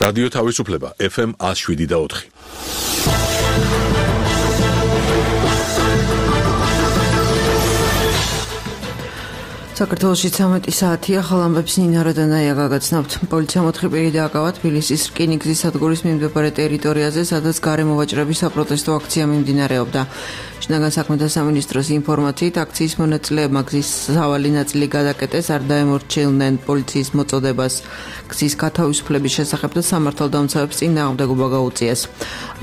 რადიო თავისუფლება FM 107.4. საქართველოში 13 საათია, ხალამბებს ნინა როდანაია გაგაცნობთ. პოლიციამ 4 პირი დააკავა თბილისის რკინიგზის სადგურის მიმდებარე ტერიტორიაზე, სადაც გარემოვაჭრების საპროტესტო აქცია მიმდინარეობდა. შინაგან საქმეთა სამინისტროს ინფორმაციით, აქციის მონაწილეებმა გზის სავალი ნაწილი გადაკეტეს, არ დაემორჩილნენ პოლიციის მოწოდებას გზის გათავისუფლების შესახებ და სამართალდამცავებს წინააღმდეგობა გაუწიეს.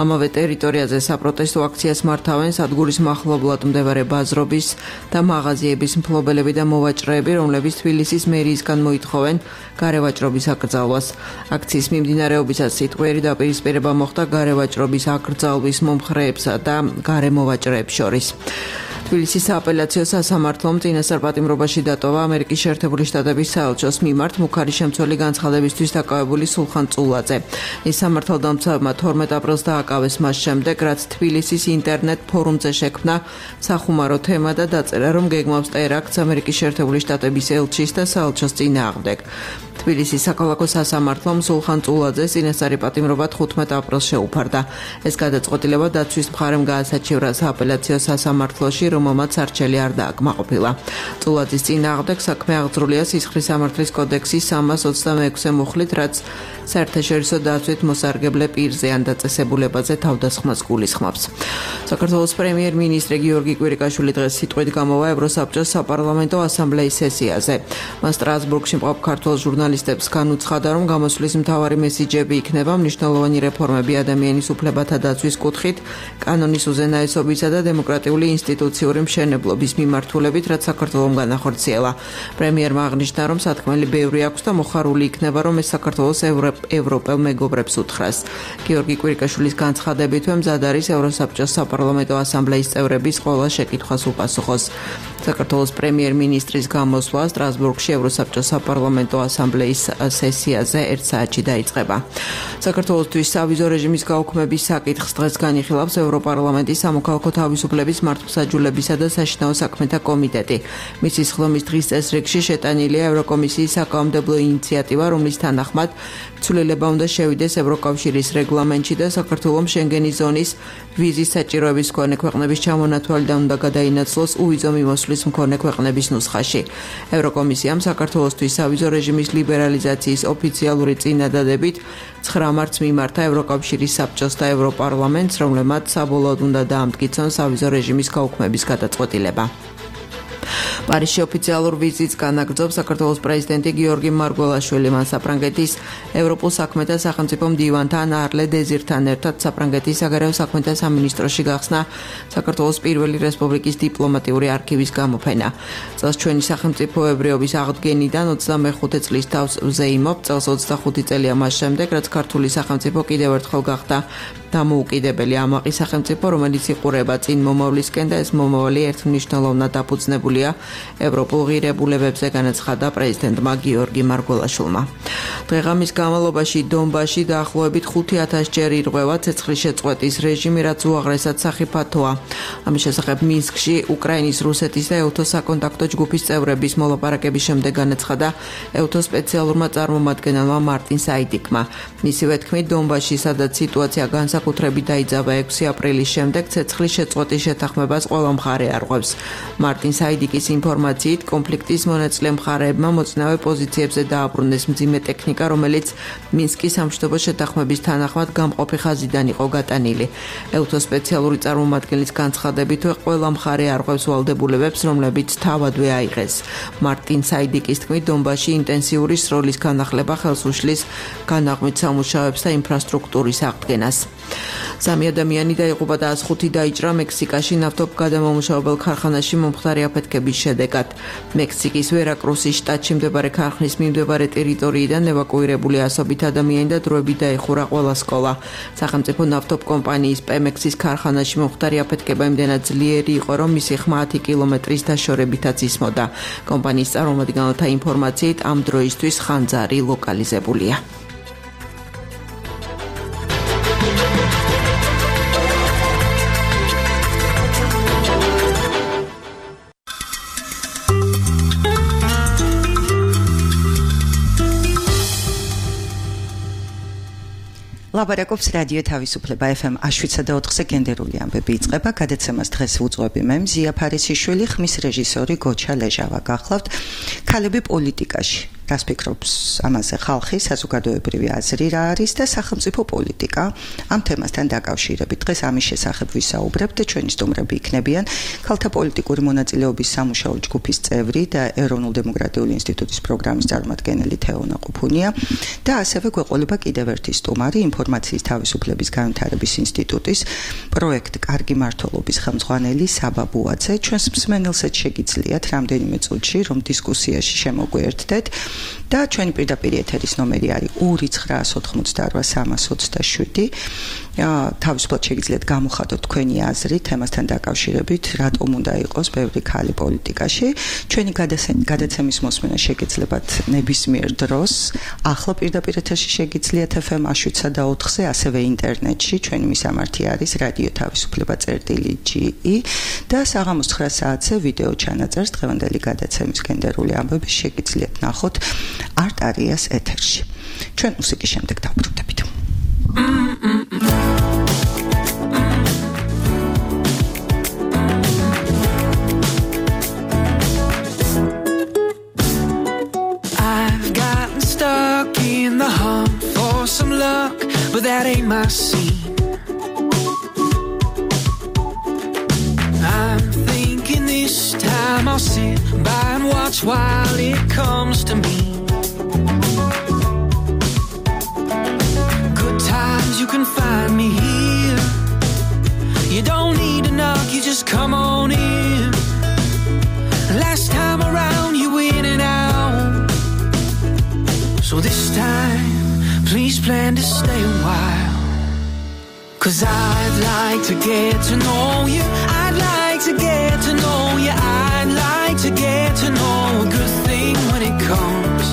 ამავე ტერიტორიაზე საპროტესტო აქციას მართავენ სადგურის მახლობლად მდებარე ბაზრობის და მაღაზიების მფლობელები და მოვაჭრეები, რომლებიც თბილისის მერიისგან მოითხოვენ გარევაჭრობის აკრძალვას. აქციის მიმდინარეობისას სიტყვიერი დაპირისპირება მოხდა გარევაჭრობის აკრძალვის მომხრეებსა და გარემოვაჭრეებს შორის. თბილისის სააპელაციო სასამართლომ წინასწარ პატიმრობაში დატოვა ამერიკის შეერთებული შტატების საელჩოს მიმართ მუქარი შემცველი განცხადებისთვის დაკავებული სულხან წულაძე. ის სამართალდამცავებმა 12 აპრილს დააკავეს მას შემდეგ, რაც თბილისის ინტერნეტ ფორუმზე შექმნა სახუმარო თემა და დაწერა, რომ გეგმავს ტერაქტს ამერიკის შეერთებული შტატების ელჩის და საელჩოს წინააღმდეგ. თბილისის საქალაქო სასამართლომ სულხან წულაძეს წინასწარი პატიმრობა 15 აპრილს შეუფარდა. ეს გადაწყვეტილება დაცვის მხარემ გაასაჩივრა სააპელაციო სასამართლოში, რომელმაც არჩელი არ დააკმაყოფილა. წულაძის წინააღმდეგ საქმე აღძრულია სისხლის სამართლის კოდექსის 326 მუხლით, რაც საერთაშორისო დაცვით მოსარგებლე პირზე ან დაწესებულებაზე თავდასხმას გულისხმობს. საქართველოს პრემიერ-მინისტრი გიორგი კვირიკაშვილი დღეს სიტყვით გამოვა ევროსაბჭოს საპარლამენტო ასამბლეის სესიაზე. მას სტრასბურგში მყოფ ქართველ ჟურნალისტებს განუცხადა, რომ გამოსვლის მთავარი მესიჯები იქნება მნიშვნელოვანი რეფორმები ადამიანის უფლებათა დაცვის კუთხით, კანონის უზენაესობისა და დემოკრატიული ინსტიტუციური მშენებლობის მიმართულებით, რაც საქართველომ განახორციელა. პრემიერმა აღნიშნა, რომ სათქმელი ბევრი აქვს და მოხარული იქნება, რომ ეს საქართველოს ევროპელ მეგობრებს უთხრას. გიორგი კვირიკაშვილის განცხადებით, მზად არის ევროსაბჭოს საპარლამენტო ასამბლეის წევრების ყველა შეკითხვას უპასუხოს. საქართველოს პრემიერ-მინისტრის გამოსვლა სტრასბურგში ევროსაბჭოს საპარლამენტო ასამბლეის სესიაზე 1 საათში დაიწყება. საქართველოსთვის სავიზო რეჟიმის გაუქმების საკითხს დღეს განიხილავს ევროპარლამენტის სამოქალაქო თავისუფლების მართლმსაჯულებისა და საშინაო საქმეთა კომიტეტი. მისის ხლომის დღის წესრიგში შეტანილია ევროკომისიის საკანონმდებლო ინიციატივა, რომლის თანახმად ცვლილება უნდა შევიდეს ევროკავშირის რეგლამენტში და საქართველოს შენგენის ზონის ვიზის საჭიროების მქონე ქვეყნების ჩამონათვალიდან უნდა გადაინაცვლოს უვიზო მიმოსვლის მქონე ქვეყნების ნუსხაში. ევროკომისიამ საქართველოსთვის სავიზო რეჟიმის ლიბერალიზაციის ოფიციალური წინადადებით 9 მარტს მიმართა ევროკავშირის საბჭოს და ევროპარლამენტს, რომლებმაც საბოლოოდ უნდა დაამტკიცონ სავიზო რეჟიმის გაუქმების გადაწყვეტილება. პარიზში ოფიციალურ ვიზიტს განაგრძობს საქართველოს პრეზიდენტი გიორგი მარგველაშვილი. მან საფრანგეთის ევროპულ საქმეთა სახელმწიფო მდივანთან არლე დეზირთან ერთად საფრანგეთის საგარეო საქმეთა სამინისტროში გახსნა საქართველოს პირველი რესპუბლიკის დიპლომატიური არქივის გამოფენა. წელს ჩვენი სახელმწიფოებრიობის აღდგენიდან 25 წლის თავს ვზეიმობ. წელს 25 წელია მას შემდეგ, რაც ქართული სახელმწიფო კიდევ ერთხელ გახდა დამოუკიდებელი ამაყი სახელმწიფო, რომელიც იყურება წინ მომავლისკენ და ეს მომავალი ერთმნიშვნელოვნად დაფუძნებულია ევროპულ ღირებულებებზე, განაცხადა პრეზიდენტმა გიორგი მარგველაშვილმა. დღეღამის განმავლობაში დონბასში დაახლოებით 5000 ჯერ ირღვევა ცეცხლის შეწყვეტის რეჟიმი, რაც უაღრესად სახიფათოა. ამის შესახებ მინსკში უკრაინის, რუსეთის და ევთოს საკონტაქტო ჯგუფის წევრების მოლაპარაკების შემდეგ განაცხადა ევთოს სპეციალურმა წარმომადგენელმა მარტინ საიდიკმა. მისივე თქმით, დონბასში, სადაც სიტუაცია განსაკუთრებით დაიძაბა 6 აპრილის შემდეგ, ცეცხლის შეწყვეტის შეთანხმებას ყველა მხარე არღვევს. მარტინ საიდიკის ინფორმაციით, კონფლიქტის მონაწილე მხარეებმა მოწინავე პოზიციებზე დააბრუნეს მძიმე ტექნიკა, რომელიც მინსკის სამშვიდობო შეთანხმების თანახმად გამყოფი ხაზიდან იყო გატანილი. ევთოს სპეციალური წარმომადგენლის განცხადებით, ყველა მხარე არღვევს ვალდებულებებს, რომლებიც თავადვე აიღეს. მარტინ საიდიკის თქმით, დონბასში ინტენსიური სროლის განახლება ხელს უშლის განაღმით სამუშაოებს და ინფრასტრუქტურის აღდგენას. 3 ადამიანი დაიღუპა და 105 დაიჭრა მექსიკაში ნავთობგადამამუშავებელ ქარხანაში მომხდარი აფეთქების შედეგად. მექსიკის ვერაკრუსის შტატში მდებარე ქარხნის მიმდებარე ტერიტორიიდან ევაკუირებული ასობით ადამიანი და დროებით დაიხურა ყველა სკოლა. სახელმწიფო ნავთობკომპანიის პემექსის ქარხანაში მომხდარი აფეთქება იმდენად ძლიერი იყო, რომ მისი ხმა 10 კილომეტრის დაშორებითაც ისმოდა. კომპანიის წარმომადგენელთა ინფორმაციით, ამ დროისთვის ხანძარი ლოკალიზებულია. ლაბარაკობს რადიო თავისუფლება FM 7.4-ზე გენდერული ამბები იწყება. გადაცემას დღეს ვუძღვები მე მზია ფარისიშვილი, ხმის რეჟისორი გოჩა ლეჟავა. გახლავთ ქალები პოლიტიკაში. რას ფიქრობს ამაზე ხალხი, საზოგადოებრივი აზრი რა არის და სახელმწიფო პოლიტიკა? ამ თემასთან დაკავშირებით დღეს ამის შესახებ ვისაუბრებთ და ჩვენი სტუმრები იქნებიან ქალთა პოლიტიკური მონაწილეობის სამუშაო ჯგუფის წევრი და ეროვნულ-დემოკრატიული ინსტიტუტის პროგრამის წარმომადგენელი თეონა ყუფუნია და ასევე გვეყოლება კიდევ ერთი სტუმარი ინფორმაციის თავისუფლების განვითარების ინსტიტუტის პროექტ კარგი მმართველობის ხელმძღვანელი საბა ბუაძე. ჩვენს მსმენელსაც შეგიძლიათ რამდენიმე წუთში რომ დისკუსიაში შემოგვიერთდეთ და ჩვენი პირდაპირ ეთერის ნომერი არის 2988327. თავისუფლად შეგიძლიათ გამოხატოთ თქვენი აზრი თემასთან დაკავშირებით, რატომ უნდა იყოს ბევრი ქალი პოლიტიკაში. ჩვენი გადაცემის მოსმენა შეგეძლებათ ნებისმიერ დროს. ახლა პირდაპირ ეთერში შეგიძლიათ FM 7.4-ზე, ასევე ინტერნეტში. ჩვენი მისამართი არის რადიო თავისუფლება.ge და საღამოს 9 საათზე ვიდეო ჩანაწერს დღევანდელი გადაცემის გენდერული ამბები შეგიძლიათ ნახოთ არტარიას ეთერში. ჩვენ მუსიკის შემდეგ დავბრუნდებით. I've gotten stuck in the hunt for some luck, but that ain't my scene. I'm thinking this time I'll sit by and watch while it comes to me. Good times you can find me here. You don't need to knock, you just come on in. Last time around you in and out, so this time please plan to stay a while. 'Cause I'd like to get to know you. I'd like to get to know you. I'd like to get to know a good thing when it comes.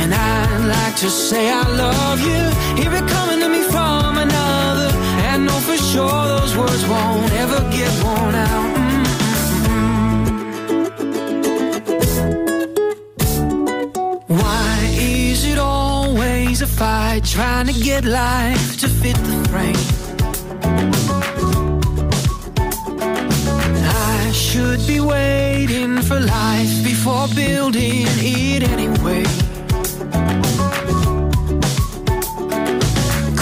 And I'd like to say I love you. Hear it coming to me from another, and know for sure those words won't ever get worn out. Why is it always a fight trying to get life to fit the frame? I should be waiting for life before building it anyway.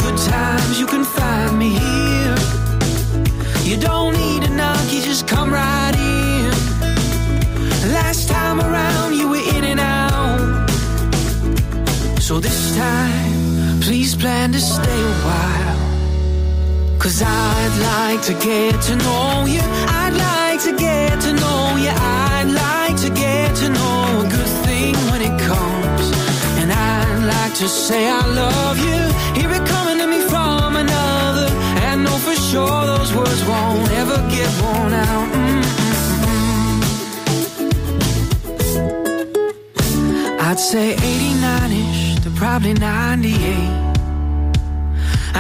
Good times you can find me here. You don't need a knock, you just come right in. Last time around you were in and out, so this time please plan to stay a while. 'Cause I'd like to get to know you. I'd like to get to know you. I'd like to get to know a good thing when it comes. And I'd like to say I love you. Hear it coming to me from another, and know for sure those words won't ever get worn out. I'd say 89ish to probably 98.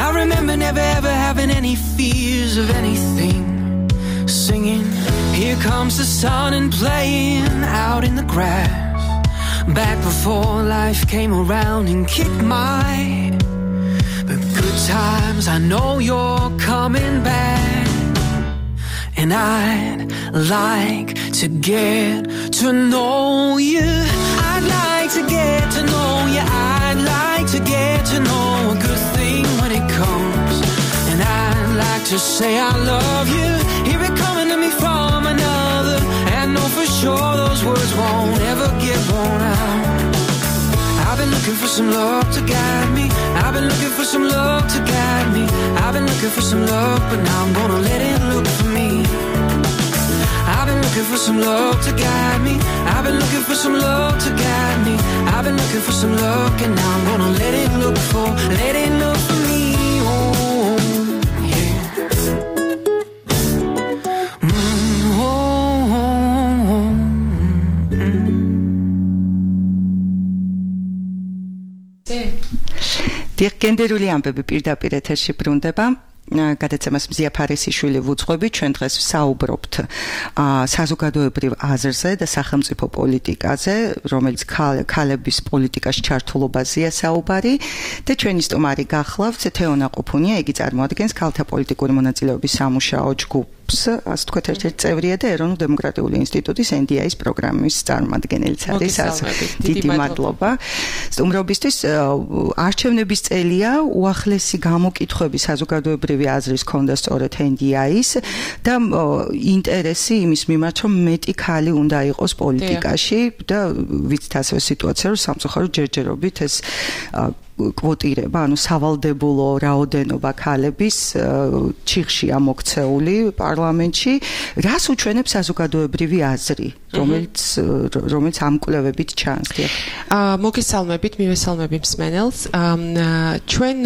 I remember never ever having any fears of anything. Singing, here comes the sun, and playing out in the grass. Back before life came around and kicked my good times. I know you're coming back, and I'd like to get to know you. I'd like to get to know you. I'd like to get to know a good thing when it comes. And I'd like to say I love you. Hear it coming to me from another, and know for sure those words won't ever get worn out. I've been looking for some love to guide me. I've been looking for some love to guide me. I've been looking for some love, but now I'm gonna let it look for me. I've been looking for some love to guide me. I've been looking for some love to guide me. I've been looking for some luck, and now I'm gonna let it look for me. Oh, yeah. გენდერული ამბები პირდაპირ ეთერში ბრუნდება. გადაცემას მზია ფარისიშვილი ვუძღვებით, ჩვენ დღეს ვსაუბრობთ საზოგადოებრივ აზრზე და სახელმწიფო პოლიტიკაზე, რომელიც ქალების პოლიტიკაში ჩართულობაზეა საუბარი და ჩვენი სტუმარი გახლავთ თეონა ყუფუნია, იგი წარმოადგენს ქალთა პოლიტიკური მონაწილეობის სამუშაო ჯგუფს, ასე თქვათ, ერთ-ერთი წევრია და ეროვნულ დემოკრატიული ინსტიტუტის NDI-ის პროგრამის წარმომადგენელიც არის. დიდი მადლობა. სტუმრობისთვის არჩევნების წელია, უახლესი გამოკითხვები საზოგადოებრივი აზრის ქონდა სწორედ NDI-ის და ინტერესი იმის მიმართ, რომ მეტი ქალი უნდა იყოს პოლიტიკაში და ვიცით ასევე სიტუაცია, რომ სამწუხაროდ ჯერჯერობით ეს კვოტირება, ანუ სავალდებულო რაოდენობა ქალების ჩიხშია მოქცეული პარლამენტში, რას უჩვენებს საზოგადოებრივი აზრი, რომელიც ამ კვლევებით ჩანს. მოგესალმებით, მივესალმები მსმენელს. ჩვენ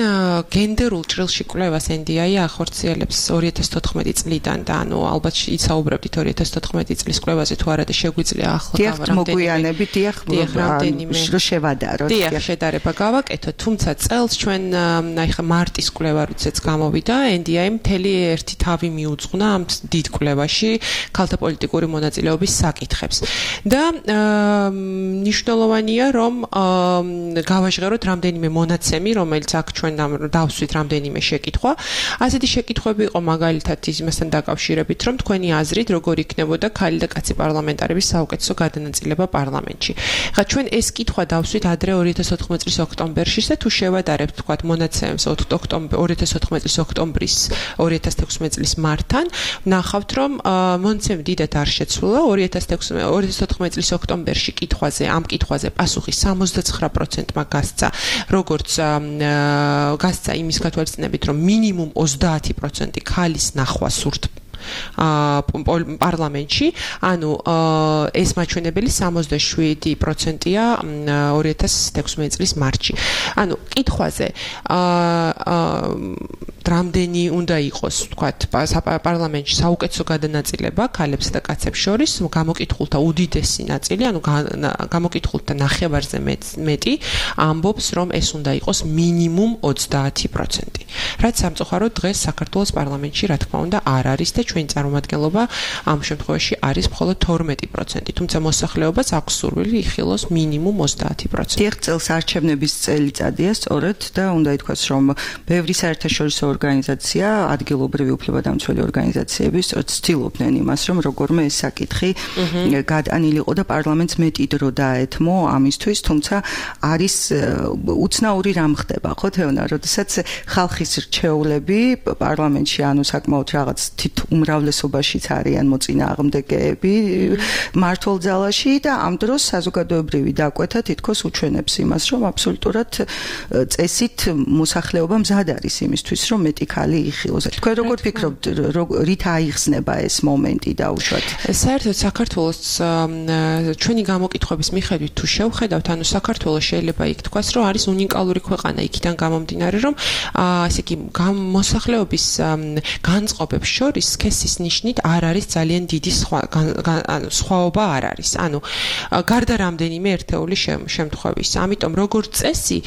გენდერულ ჭრილში კვლევას NDI ახორციელებს 2014 წლიდან და ანუ ალბათ ისაუბრებდით 2014 წლის კვლევაზე თუ არა და შეგვიძლია ახლა მოგვიანებით რომ შევადაროთ. დიახ, შედარება გავაკეთოთ. თუმცა წელს ჩვენ აი ხა მარტის კვლევა როდესაც გამოვიდა, NDI მთელი ერთი თავი მიუძღვნა ამ დიდ კვლევაში ქალთა პოლიტიკური მონაწილეობის საკითხებს. და მნიშვნელოვანია, რომ გავაჟღეროთ რამდენიმე მონაცემი, რომელიც აქ ჩვენ დავსვით რამდენიმე შეკითხვა. ასეთი შეკითხვები იყო მაგალითად იმასთან დაკავშირებით, რომ თქვენი აზრით როგორ იქნებოდა ქალი და კაცი პარლამენტარების საუკეთესო გადანაწილება პარლამენტში. ხა ჩვენ ეს კითხვა დავსვით ადრე 2014 წლის ოქტომბერში და თუ შევადარებთ თქვათ მონაცემს 2014 წლის ოქტომბრის 2016 წლის მარტთან, ნახავთ რომ მონაცემი დიდად არ შეცვლა. 2014 წლის ოქტომბერში ამ კითხვაზე პასუხი 79%-მა გასცა, როგორც გასცა იმის გათვალისწინებით, რომ მინიმუმ 30% ქალის ნახვა სურთ პარლამენტში, ანუ ეს მაჩვენებელი 67%-ია 2016 წლის მარტში. ანუ კითხვაზე რამდენი უნდა იყოს, თქვათ, პარლამენტში საუკეთესო გადანაწილება ქალებსა და კაცებს შორის, გამოკითხულთა უდიდესი ნაწილი, ანუ გამოკითხულთა ნახევარზე მეტი ამბობს, რომ ეს უნდა იყოს მინიმუმ 30%. რაც სამწუხაროდ დღეს საქართველოს პარლამენტში, რა თქმა უნდა, არ არის და ჩვენი წარმომადგენლობა ამ შემთხვევაში არის მხოლოდ 12%, თუმცა მოსახლეობას აქვს სურვილი იხილოს მინიმუმ 30%. ერთ წელს არჩევნების წელიწადია სწორედ და უნდა ითქვას, რომ ბევრი საერთაშორისო ორგანიზაცია, ადგილობრივი უფლებადამცველი ორგანიზაციები სწორედ ცდილობდნენ იმას, რომ როგორმე ეს საკითხი გადანილიყო და პარლამენტს მეტი დრო დაეთმო ამისთვის, თუმცა არის უცნაური რამ ხდება, ხო თეონა, როდესაც ხალხის რჩეულები პარლამენტში ანუ საკმაოდ რაღაც უმრავლესობაშიც არიან მოწინააღმდეგეები მართულ ძალაში და ამ დროს საზოგადოებრივი დაკვეთა თითქოს უჩვენებს იმას, რომ აბსოლუტურად წესით მოსახლეობა მზად არის იმისთვის, რომ მეტი ქალი იხილოს. თქვენ როგორ ფიქრობთ, რით აიხსნება ეს მომენტი დაუშვათ? საერთოდ საქართველოს ჩვენი გამოკითხვების მიხედვით თუ შევხედავთ, ანუ საქართველოს შეიძლება იქ თქვას, რომ არის უნიკალური ქვეყანა იქიდან გამომდინარე, რომ ასე იგი მოსახლეობის განწყობებს შორის სქესის ნიშნით არ არის ძალიან დიდი სხვაობა არ არის. ანუ გარდა რამდენიმე ერთეული შემთხვევის. ამიტომ როგორც წესი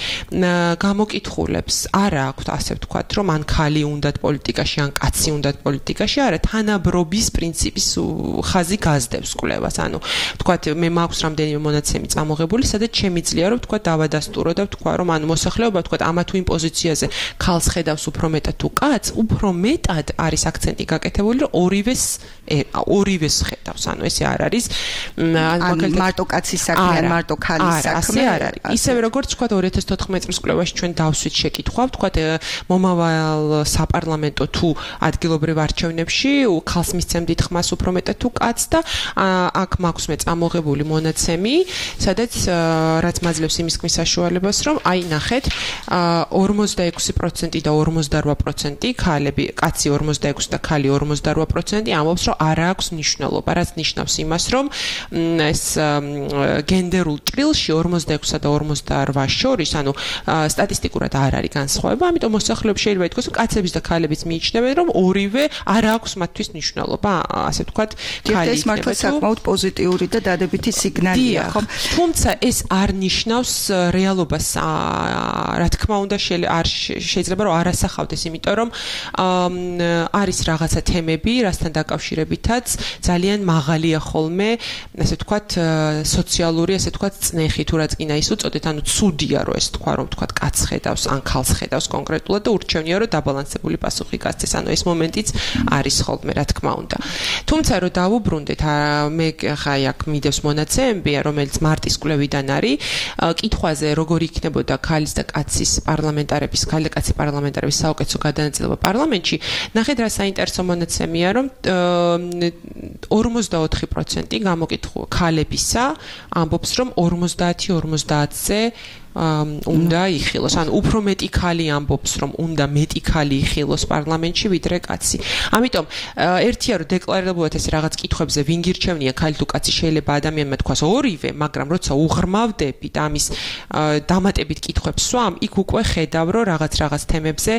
გამოკითხულებს არ აქვთ ასე ვთქვათ, რომ ან ქალი უნდათ პოლიტიკაში, ან კაცი უნდათ პოლიტიკაში, არა, თანაბრობის პრინციპის ხაზი გაზდევს კვლევას. ანუ ვთქვათ, მე მაქვს რამდენიმე მონაცემი წამოღებული, სადაც შემიძლია რომ ვთქვათ დავადასტურო და ვთქვა, რომ ანუ მოსახლეობა ვთქვათ ამა თუ იმ პოზიციაზე ქალს ხედავს უფრო მეტად თუ კაცს, უფრო მეტად არის აქცენტი გაკეთებული, რომ ორივეს ხედავს. ანუ ესე არ არის მარტო კაცის საქმე, ან მარტო ქალის საქმე. ასე არ არის. ისევე როგორც ვთქვათ 2014 წლის კვლევაში ჩვენ დავსვით შეკითხვა, ვთქვათ მომავალ საპარლამენტო თუ ადგილობრივ არჩევნებში ქალს მისცემდით ხმას უფრო მეტად თუ კაცს და აქ მაქვს მე წამოღებული მონაცემი, სადაც რაც მაძლევს იმის ქმის საშუალებას, რომ აი ნახეთ 46% და 48% ქალები, კაცი 46 და ქალი 48% ამბობს, რომ არ აქვს მნიშვნელობა, რაც ნიშნავს იმას, რომ ეს გენდერულ ჭრილში 46 და 48 შორის, ანუ სტატისტიკურად არ არის განსხვავება, ამიტომ მოსახლეობა შეიძლება ითქვას, რომ კაცების და ქალებიც მიიჩნევენ, რომ ორივე არ აქვს მათთვის მნიშვნელობა, ასე ვთქვათ, ქალი ეს მართლა საკმაოდ პოზიტიური და დადებითი სიგნალია, ხომ? თუმცა ეს არ ნიშნავს რეალობას, რა თქმა უნდა, არ შეიძლება რომ არ ასახავდეს, იმიტომ რომ არის რაღაცა თემები, რასთან დაკავშირებითაც ძალიან მაღალია ხოლმე, ასე ვთქვათ, სოციალური, ასე ვთქვათ, წნეხი თუ რაც კიდე ის უწოდეთ, ანუ ცუდია რომ ეს თქვა, რომ ვთქვათ, კაცს ხედავს ან ქალს ხედავს კონკრეტულად და ურჩევნია რომ დაბალანსებული პასუხი გასცეს, ანუ ეს მომენტიც არის ხოლმე, რა თქმა უნდა. თუმცა რომ დავუბრუნდეთ, მე ხაი აქ მიდევს მონაცემები, რომელიც მარტის კვლევიდან არის, კითხვაზე როგორ იქნებოდა ქალის და კაცის პარლამენტარების, ქალი და კაცი პარლამენტარების საუკეთესო გადანაწილება პარლამენტში, ნახეთ რა საინტერესო მონაცემია, რომ 44% გამოკითხულ ქალებისა ამბობს, რომ 50-50-ზე უნდა იხილოს, ანუ უფრო მეტი ქალი ამბობს, რომ უნდა მეტი ქალი იხილოს პარლამენტში ვიდრე კაცი. ამიტომ ერთია რომ დეკლარირებულად ეს რაღაც კითხვებზე ვინ გირჩევნია, ქალი თუ კაცი, შეიძლება ადამიანმა თქვას ორივე, მაგრამ როცა უღრმავდებით ამის დამატებით კითხვებს სვამ, იქ უკვე ხედავ რომ რაღაც თემებზე,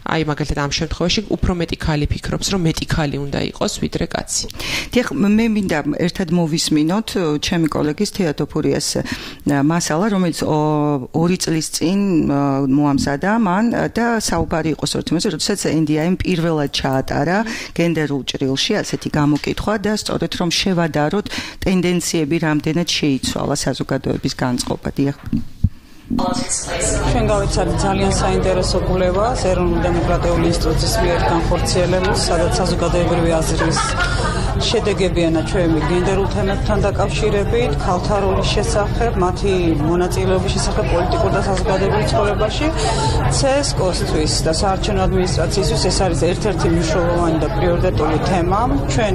აი მაგალითად ამ შემთხვევაში უფრო მეტი ქალი ფიქრობს, რომ მეტი ქალი უნდა იყოს ვიდრე კაცი. დიახ, მე მინდა ერთად მოვისმინოთ ჩემი კოლეგის თეატოფურიას მასალა, რომელიც 2 წლის წინ მოამზადა მან და საუბარი იყო სწორედ, როდესაც NDI-მ პირველად ჩაატარა გენდერულ ჭრილში ასეთი გამოკითხვა და სწორედ რომ შევადაროთ ტენდენციები რამდენად შეიცვალა საზოგადოების განწყობა. დიახ. ჩვენ გავიცადეთ ძალიან საინტერესო კვლევა ეროვნული დემოკრატიული ინსტიტუტის მიერ განხორციელებული, სადაც საზოგადოებრივი აზრის შედეგებიანა ჩვენი გენდერულ თემებთან დაკავშირებით, ქალთა როლის შესახებ, მათი მონაწილეობის შესახებ პოლიტიკურ და საზოგადოებრივ ცხოვრებაში, CSKOS-თვის და საარჩევნო ადმინისტრაციისთვის ეს არის ერთ-ერთი მნიშვნელოვანი და პრიორიტეტული თემა. ჩვენ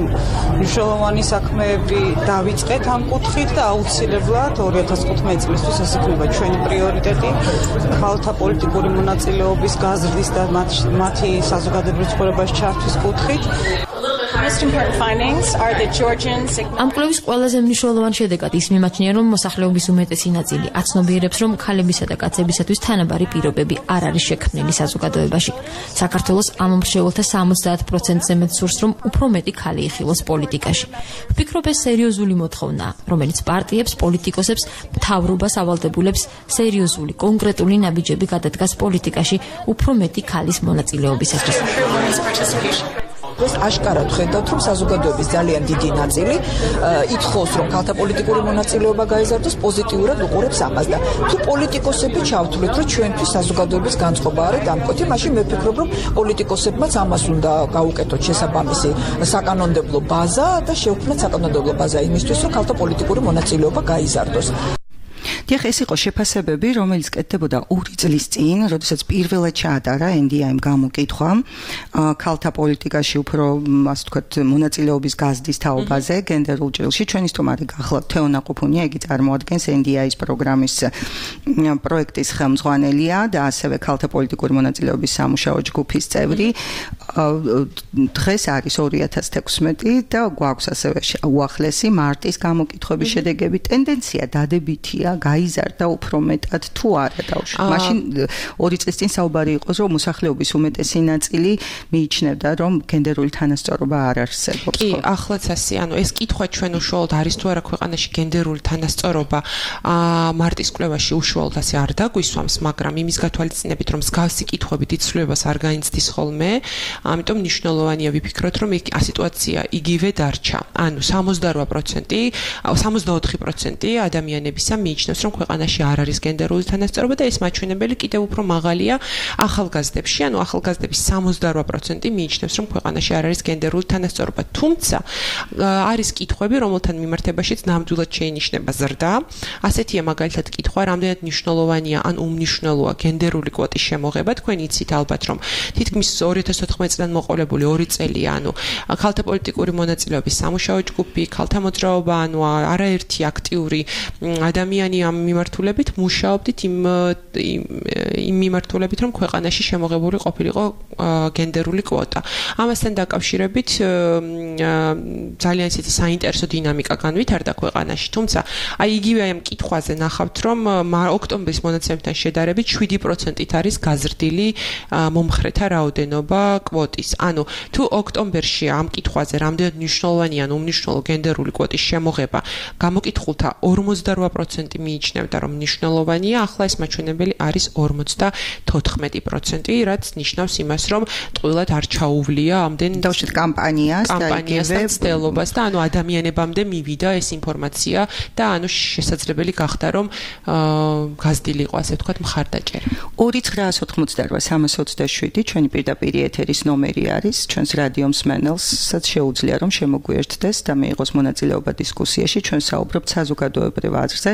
მნიშვნელოვანი საქმეები დავიწყეთ ამ კუთხით და აუცილებლად 2015 წლისთვის ეს იქნება ჩვენი პრიორიტეტი, ქალთა პოლიტიკური მონაწილეობის გაზრდის და მათი საზოგადოებრივ ცხოვრებაში ჩართვის კუთხით. ამ კვლევის ყველაზე მნიშვნელოვანი შედეგად ის მიმაჩნია, რომ მოსახლეობის უმეტესი ნაწილი აცნობიერებს, რომ ქალებისა და კაცებისათვის თანაბარი პირობები არ არის შექმნილი საზოგადოებაში. საქართველოს ამ მრჩეველთა 70%-ზე მეტ სურს, რომ უფრო მეტი ქალი იხილოს პოლიტიკაში. ვფიქრობ, ეს სერიოზული მოთხოვნაა, რომელიც პარტიებს, პოლიტიკოსებს, მთავრობას, ავალდებულებს სერიოზული, კონკრეტული ნაბიჯები გადადგას პოლიტიკაში უფრო მეტი ქალის მონაწილეობისათვის. ეს აშკარად ხედავთ, რომ საზოგადოების ძალიან დიდი ნაწილი ითხოვს, რომ ქალთა პოლიტიკური მონაწილეობა გაიზარდოს, პოზიტიურად უყურებს ამას და თუ პოლიტიკოსები ჩავთვლით, რომ ჩვენთვის საზოგადოების განწყობა არის დამკვეთი, მაშინ მე ვფიქრობ, რომ პოლიტიკოსებმაც ამას უნდა გაუკეთოთ შესაბამისი საკანონმდებლო ბაზა და შევქმნათ საკანონმდებლო ბაზა იმისთვის, რომ ქალთა პოლიტიკური მონაწილეობა გაიზარდოს. დიახ, ეს იყო შეფასებები, რომელიც კეთდებოდა 2 წლის წინ, როდესაც პირველად ჩაატარა NDI-მ გამოკითხვა ქალთა პოლიტიკაში უფრო, ასე ვთქვათ, მონაწილეობის გაზრდის თაობაზე, გენდერულ ჭრილში. ჩვენი სტუმარი გახლავთ თეონა ყუფუნია, იგი წარმოადგენს NDI-ის პროგრამის პროექტის ხელმძღვანელია და ასევე ქალთა პოლიტიკური მონაწილეობის სამუშაო ჯგუფის წევრი. დღეს არის 2016 და გვაქვს ასევე უახლესი მარტის გამოკითხვების შედეგები. ტენდენცია დადებითია, გაიზარდა უფრო მეტად თუ არა დავშ. მაშინ 2 წლის წინ საუბარი იყო, რომ მოსახლეობის უმეტესი ნაწილი მიიჩნევდა, რომ გენდერული თანასწორობა არ არსებობს. კი, ახლაც ასე, ანუ ეს კითხვა ჩვენ უშუალოდ არის თუ არა ქვეყანაში გენდერული თანასწორობა მარტის კვლევაში უშუალოდ ასე არ დაგვისვამს, მაგრამ იმის გათვალისწინებით, რომ მსგავსი კითხვები ცვლილებას არ გაინცდის ხოლმე, ამიტომ მნიშვნელოვანია ვიფიქროთ, რომ სიტუაცია იგივე დარჩა. ანუ 64% ადამიანებისა მიიჩნევს, რომ ქვეყანაში არ არის გენდერული თანასწორობა და ეს მაჩვენებელი კიდევ უფრო მაღალია ახალგაზრდებში, ანუ ახალგაზრდების 68% მიიჩნევს, რომ ქვეყანაში არ არის გენდერული თანასწორობა. თუმცა არის კითხვები, რომელთან მიმართებაშიც ნამდვილად შეინიშნება ზრდა. ასეთია მაგალითად კითხვა, რამდენად მნიშვნელოვანია ან უმნიშვნელოა გენდერული კვოტის შემოღება. თქვენ იცით ალბათ, რომ თითქმის 2014 წლიდან მოყოლებული 2 წელია, ანუ ქალთა პოლიტიკური მონაწილეობის სამუშაო ჯგუფი, ქალთა მოძრაობა, ანუ არაერთი აქტიური ადამიანი ამ მიმართულებით მუშაობდით იმ მიმართულებით, რომ ქვეყანაში შემოღებული ყოფილიყო გენდერული კვოტა. ამასთან დაკავშირებით ძალიან ისეთი საინტერესო დინამიკა განვითარდა ქვეყანაში, თუმცა აი იგივე ამ კითხვაზე ნახავთ, რომ ოქტომბრის მონაცემებთან შედარებით 7%-ით არის გაზრდილი მომხრეთა რაოდენობა კვოტის. ანუ თუ ოქტომბერში ამ კითხვაზე რამდენად მნიშვნელოვანია უმნიშვნელო გენდერული კვოტის შემოღება, გამოკითხულთა 48% მიიჩნევდა, რომ მნიშვნელოვანია, ახლა ეს მაჩვენებელი არის 54%, რაც ნიშნავს იმას, რომ ტყუილად არ ჩაუვლია ამდენ დავშეთ კამპანიას და ცდელობას და ანუ ადამიანებამდე მივიდა ეს ინფორმაცია და ანუ შესაძლებელი გახდა, რომ გაზრდილიყო, ასე ვთქვათ, მხარდაჭერა. 2988327 ჩვენი პირდაპირ ეთერის ნომერი არის, ჩვენს რადიო მსმენელსაც შეუძლია რომ შემოგვიერთდეს და მიიღოს მონაწილეობა დისკუსიაში. ჩვენ საუბრობთ საზოგადოებრივ აზრზე,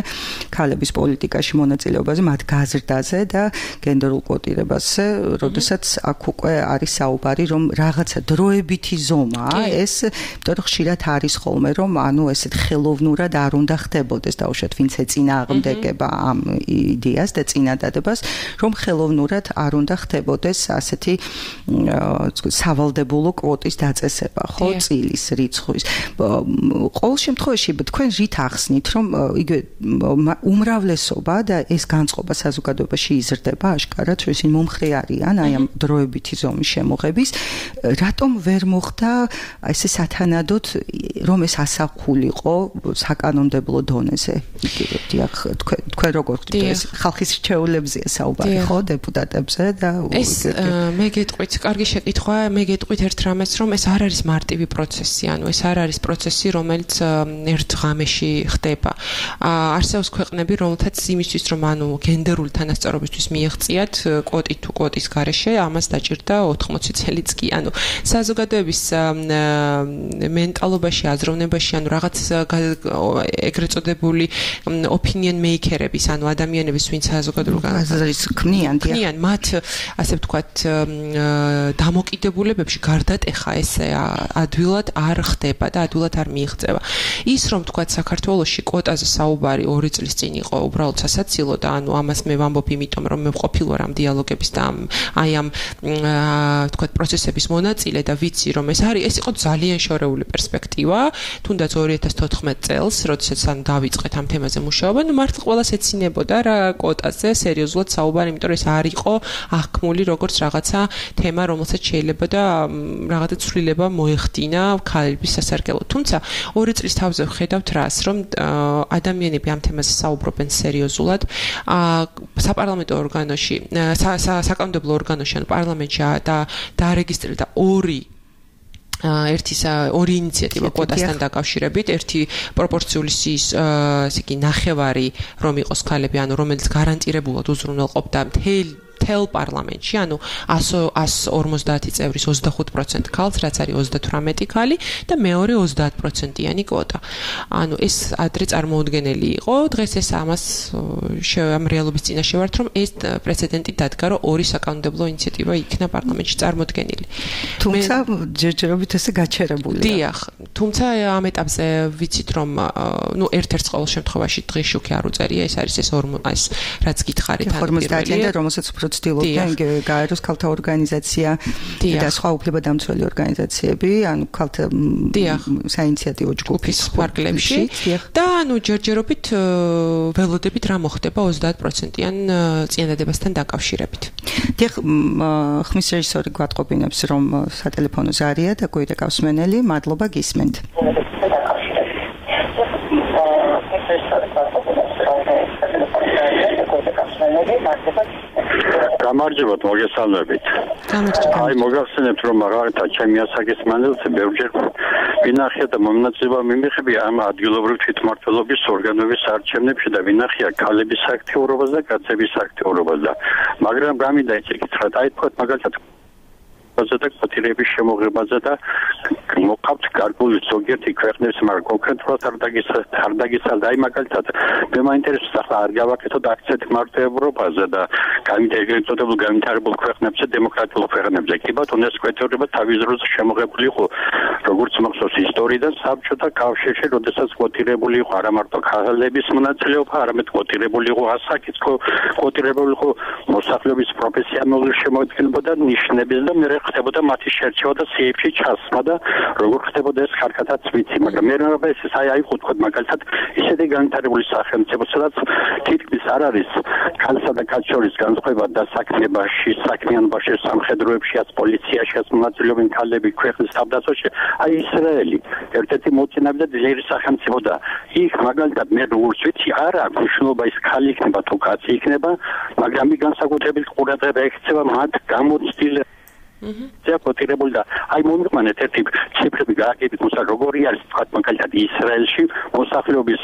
ქალების პოლიტიკაში მონაწილეობაზე, მათ გაზრდაზე და გენდერულ კვოტირებაზე, როდესაც აქ უკვე არის საუბარი, რომ რაღაცა დროებითი ზომაა, ეს იმიტომ რომ ხშირად არის ხოლმე, რომ ანუ ესეთ ხელოვნურად არ უნდა ხდებოდეს, დაუშვათ ვინც ეწინააღმდეგება ამ იდეას და წინადადებას, რომ ხელოვნურად არ უნდა ხდებოდეს ასეთი სავალდებულო კვოტის დაწესება, ხო, წილის რიცხვის. ყოველ შემთხვევაში თქვენ რით ახსნით, რომ იგივე უმრავლესობა და ეს განწყობა საზოგადოებაში იზრდება აშკარად, რომ ისინი მომხრე არიან აი ამ დროებითი ზომის შემოღების, რატომ ვერ მოხდა ესე სათანადოდ, რომ ეს ასახულიყო საკანონმდებლო დონეზე? დიახ, თქვენ როგორ ხდით ეს ხალხის რჩეულებზეა საუბარი, ხო, დეპუტატებზე და ეს მე გეტყვით, კარგი შეკითხვა, მე გეტყვით ერთ რამეს, რომ ეს არ არის მარტივი პროცესი, ანუ ეს არ არის პროცესი, რომელიც ერთ ღამეში ხდება. არსებობს ქვეყნები, რომელთაც იმისთვის, რომ ანუ გენდერული თანასწორობისთვის მიეღწიათ კვოტი თუ კვოტის გარეშე, ამას დაჭირდა 80 წელიც კი. ანუ საზოგადოების მენტალობაში, აზროვნებაში, ანუ რაღაც ეგრეთ წოდებული opinion maker-ების, ანუ ადამიანების, ვინც საზოგადოებრივ აზრის ქმნიან, მათ ასე ვთქვათ, დამოკიდებულებებში გარდატეხა ეს ადვილად არ ხდება და ადვილად არ მიიღწევა. ის რომ ვთქვათ, საქართველოში კვოტაზე საუბარი 2 წლის წინ იყო უბრალოდ სასაცილო და ანუ ამას მე ვამბობ, იმიტომ რომ მე ვყოფილი ვარ ამ დიალოგების და აი ამ ვთქვათ პროცესების მონაწილე და ვიცი რომ ეს იყო ძალიან შორეული პერსპექტივა, თუნდაც 2014 წელს, როდესაც ანუ დავიწყეთ ამ თემაზე მუშაობა, ნუ მართლა ყველას ეცინებოდა რა კვოტაზე სერიოზულად საუბარი, იმიტომ რომ ეს არ იყო აღქმული როგორც რაღაცა თემა, რომელსაც შეიძლება და რაღაცა ცვლილება მოეხდინა ქალების სასარგებლოდ. თუმცა 2 წლის თავზე ვხედავთ რას, რომ ადამიანები ამ თემაზე საუბრობენ სერიოზულად, საპარლამენტო ორგანოში, საკანონმდებლო ორგანოში, ანუ პარლამენტში დაარეგისტრირდა ორი ინიციატივა კვოტასთან დაკავშირებით, ერთი პროპორციული სიის ნახევარი რომ იყოს ქალები, ანუ რომელიც გარანტირებულად უზრუნველყოფდა მთელ პარლამენტში, ანუ 150 წევრის 25% ქალს, რაც არის 38 ქალი და მეორე 30%-იანი კვოტა. ანუ ეს ადრე წარმოუდგენელი იყო, დღეს ეს ამას ამ რეალობის წინაშე ვართ, რომ ეს პრეცედენტი დადგა, რომ ორი საკანონმდებლო ინიციატივა იქნა პარლამენტში წარმოდგენილი. თუმცა ჯერჯერობით ესე გაჩერებულია. დიახ, თუმცა ამ ეტაპზე ვიცით, რომ ნუ ერთ-ერთ ყოველ შემთხვევაში დღეში უკვე არ უწერია, ეს არის ეს რაც გითხარით ან პირველი და რომელსაც ცდილობდნენ გაეროს ქალთა ორგანიზაცია და სხვა უფლებადამცველი ორგანიზაციები, ანუ ქალთა საინიციატივო ჯგუფის ფარგლებში და ანუ ჯერჯერობით ველოდებით რა მოხდება 30%-იან წინადადებასთან დაკავშირებით. დიახ, ხმის რეჟისორი გვატყობინებს, რომ სატელეფონო ზარია და გვერდ გასმენელი, მადლობა გისმენთ. გამარჯობათ, მოგესალმებით. აი, მოგახსენებთ, რომ მაგალითად ჩემი ასაკის მანძილზე ბევრჯერ ვინახია და მომნაწილეობა მიმიღებია ამ ადგილობრივ თვითმმართველობის ორგანოების არჩევნებში და ვინახია ქალების აქტიურობას და კაცების აქტიურობას და მაგრამ გამინდა ისე კითხრათ, აი თქვათ მაგალითად და კვოტირების შემოღებაზე და მოყავთ გარკვეული ზოგიერთი ქვეყნების მაგრამ კონკრეტულად არ დაგიცალდა აი მაგალითად მე მაინტერესებს ახლა არ გავაკეთოთ აქცენტი მარტო ევროპაზე და განვითარებულ ქვეყნებზე დემოკრატიულ ქვეყნებზე კი ბატონო ეს კვოტირება თავის დროზე შემოღებული იყო როგორც მახსოვს ისტორიიდან საბჭოთა კავშირში როდესაც კვოტირებული იყო არა მარტო ქალების მონაწილეობა არამედ კვოტირებული იყო ასაკიც კვოტირებული იყო მოსახლეობის პროფესიონალური შემოადგენლობა და ნიშნების და მე ხდებოდა მათი შერჩევა და სიებში ჩასმა და როგორ ხდებოდა ეს ხარკათაც ვიცი მაგრამ მე რა ეს აი ხუთქოდ მაგალითად ისეთი განვითარებული სახელმწიფო სადაც თითქმის არ არის ქალსა და კაცის შორის განსხვავება და საქმიანობაში სამხედროებშიაც პოლიციაშიაც მონაწილეობენ ქალები ქვეყნის თავდაცვაში აი ისრაელი ერთ-ერთი მოწინავე და ძლიერი სახელმწიფო და იქ მაგალითად მე როგორც ვიცი არ აქვს მნიშვნელობა ის ქალი იქნება თუ კაცი იქნება მაგრამ ის განსაკუთრებით ყურადღება ექცევა მათ გამოცდილ კვოტირებული და აი მომიყვანეთ ერთი ციფრები გააკეთეთ მოსა როგორი არის თქვა მაგალითად ისრაელში მოსახლეობის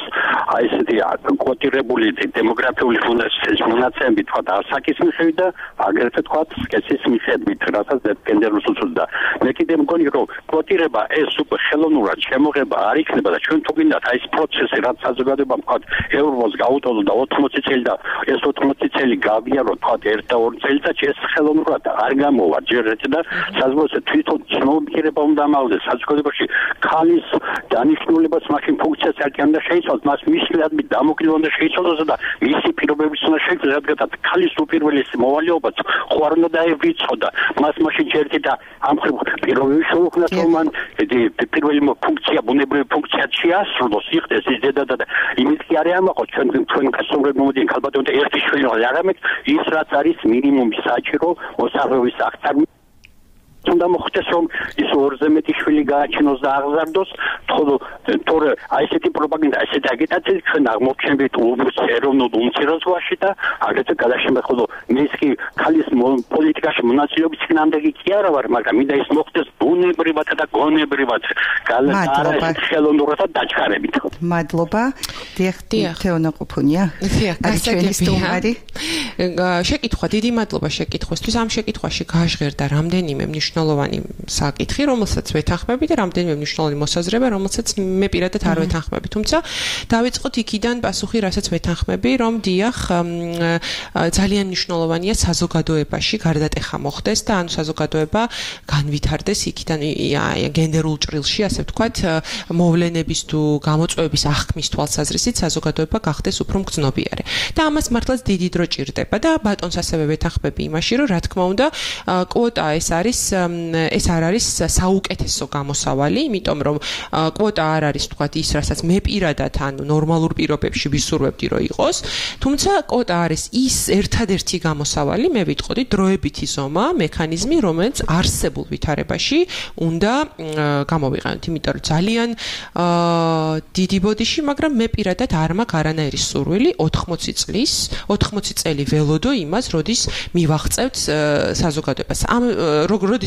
აი ესეთი კვოტირებული დემოგრაფიული მონაცემები თქვა ასაკის მიხედვით და აგრეთვე თქვა სქესის მიხედვით რასაც გენდერულ უწევდა მე კიდე მგონი რომ კვოტირება ეს უკვე ხელოვნურად შემოღება არ იქნება და ჩვენ თუ გინდათ აი ეს პროცესი რაც საზოგადოებამ თქვა ევროპოს გაუტოლო და 80 წელი და ეს 80 წელი გავიარო თქვა 1 და 2 წელიწადში ეს ხელოვნურად არ გამოვა ჯერ და საზოგადოებრივ თვითონ ცნობიერება უნდა ამაღლდეს საზოგადოებაში ქალის დანიშნულებას მაშინ ფუნქციას არ უნდა შეიცვალოს მას მისლადმი დამოკლება უნდა შეიცვალოს და მისი პირობებიც უნდა შეიცვალოს რადგან ქალის უპირველესი მოვალეობაც ხო არ უნდა დაევრიცხოდა მას მაშინ ჯერდი და ამხრივ პირობები შეუქმნას რომ მან პირველი ფუნქცია ბუნებრივი ფუნქცია შეასრულოს იხდეს ის დედა და იმით კი არ ამაყოთ ჩვენ გასწორებ მომდიან ქალბატონი და ერთი შვილი არამედ ის რაც არის მინიმუმი საჭირო მოსახლეობის აღწარმა უნდა მოხდეს რომ ის ორზე მეტი შვილი გააჩინოს და აღზარდოს თორე აი ესეთი პროპაგანდა ესეთი აგიტაცია ჩვენ აღმოჩენთ ეროვნულ უმცირესობაში და აგრეთვე გადაშემეხულო მის კი ქალის პოლიტიკაში მონაწილეობის წინამდები კი არა ვარ მაგრამ მინდა ის მოხდეს ბუნებრივად და გონებრივად გალატარაში ხელოვნურად და დაჩქარებით მადლობა თეონა ყუფუნია გასაგებია შეკითხვა დიდი მადლობა შეკითხვისთვის ამ შეკითხვაში გაჟღერდა რამდენიმე მნიშვნელოვანი საკითხი, რომელსაც ვეთანხმები და რამდენიმე მნიშვნელოვანი მოსაზრება, რომელსაც მე პირადად არ ვეთანხმები. თუმცა დავიწყოთ იქიდან პასუხი, რასაც ვეთანხმები, რომ დიახ, ძალიან მნიშვნელოვანია საზოგადოებაში გარდატეხა მოხდეს და ანუ საზოგადოება განვითარდეს იქიდან გენდერულ ჭრილში, ასე ვთქვათ, მოვლენების თუ გამოწვევების აღქმის თვალსაზრისით საზოგადოება გახდეს უფრო მგრძნობიარე. და ამას მართლაც დიდი დრო ჭირდება და ბატონს ასევე ვეთანხმები იმაში, რომ რა თქმა უნდა, კვოტა ეს არ არის საუკეთესო გამოსავალი, იმიტომ რომ კვოტა არ არის თქვათ ის, რასაც მე პირადად ანუ ნორმალურ პირობებში ვისურვებდი რომ იყოს, თუმცა კვოტა არის ის ერთადერთი გამოსავალი, მე ვიტყოდი დროებითი ზომა, მექანიზმი, რომელიც არსებულ ვითარებაში უნდა გამოვიყენოთ, იმიტომ რომ ძალიან დიდი ბოდიში, მაგრამ მე პირადად არ მაქვს არანაირი სურვილი 80 წელი ველოდო იმას, როდის მივაღწევთ საზოგადოებას.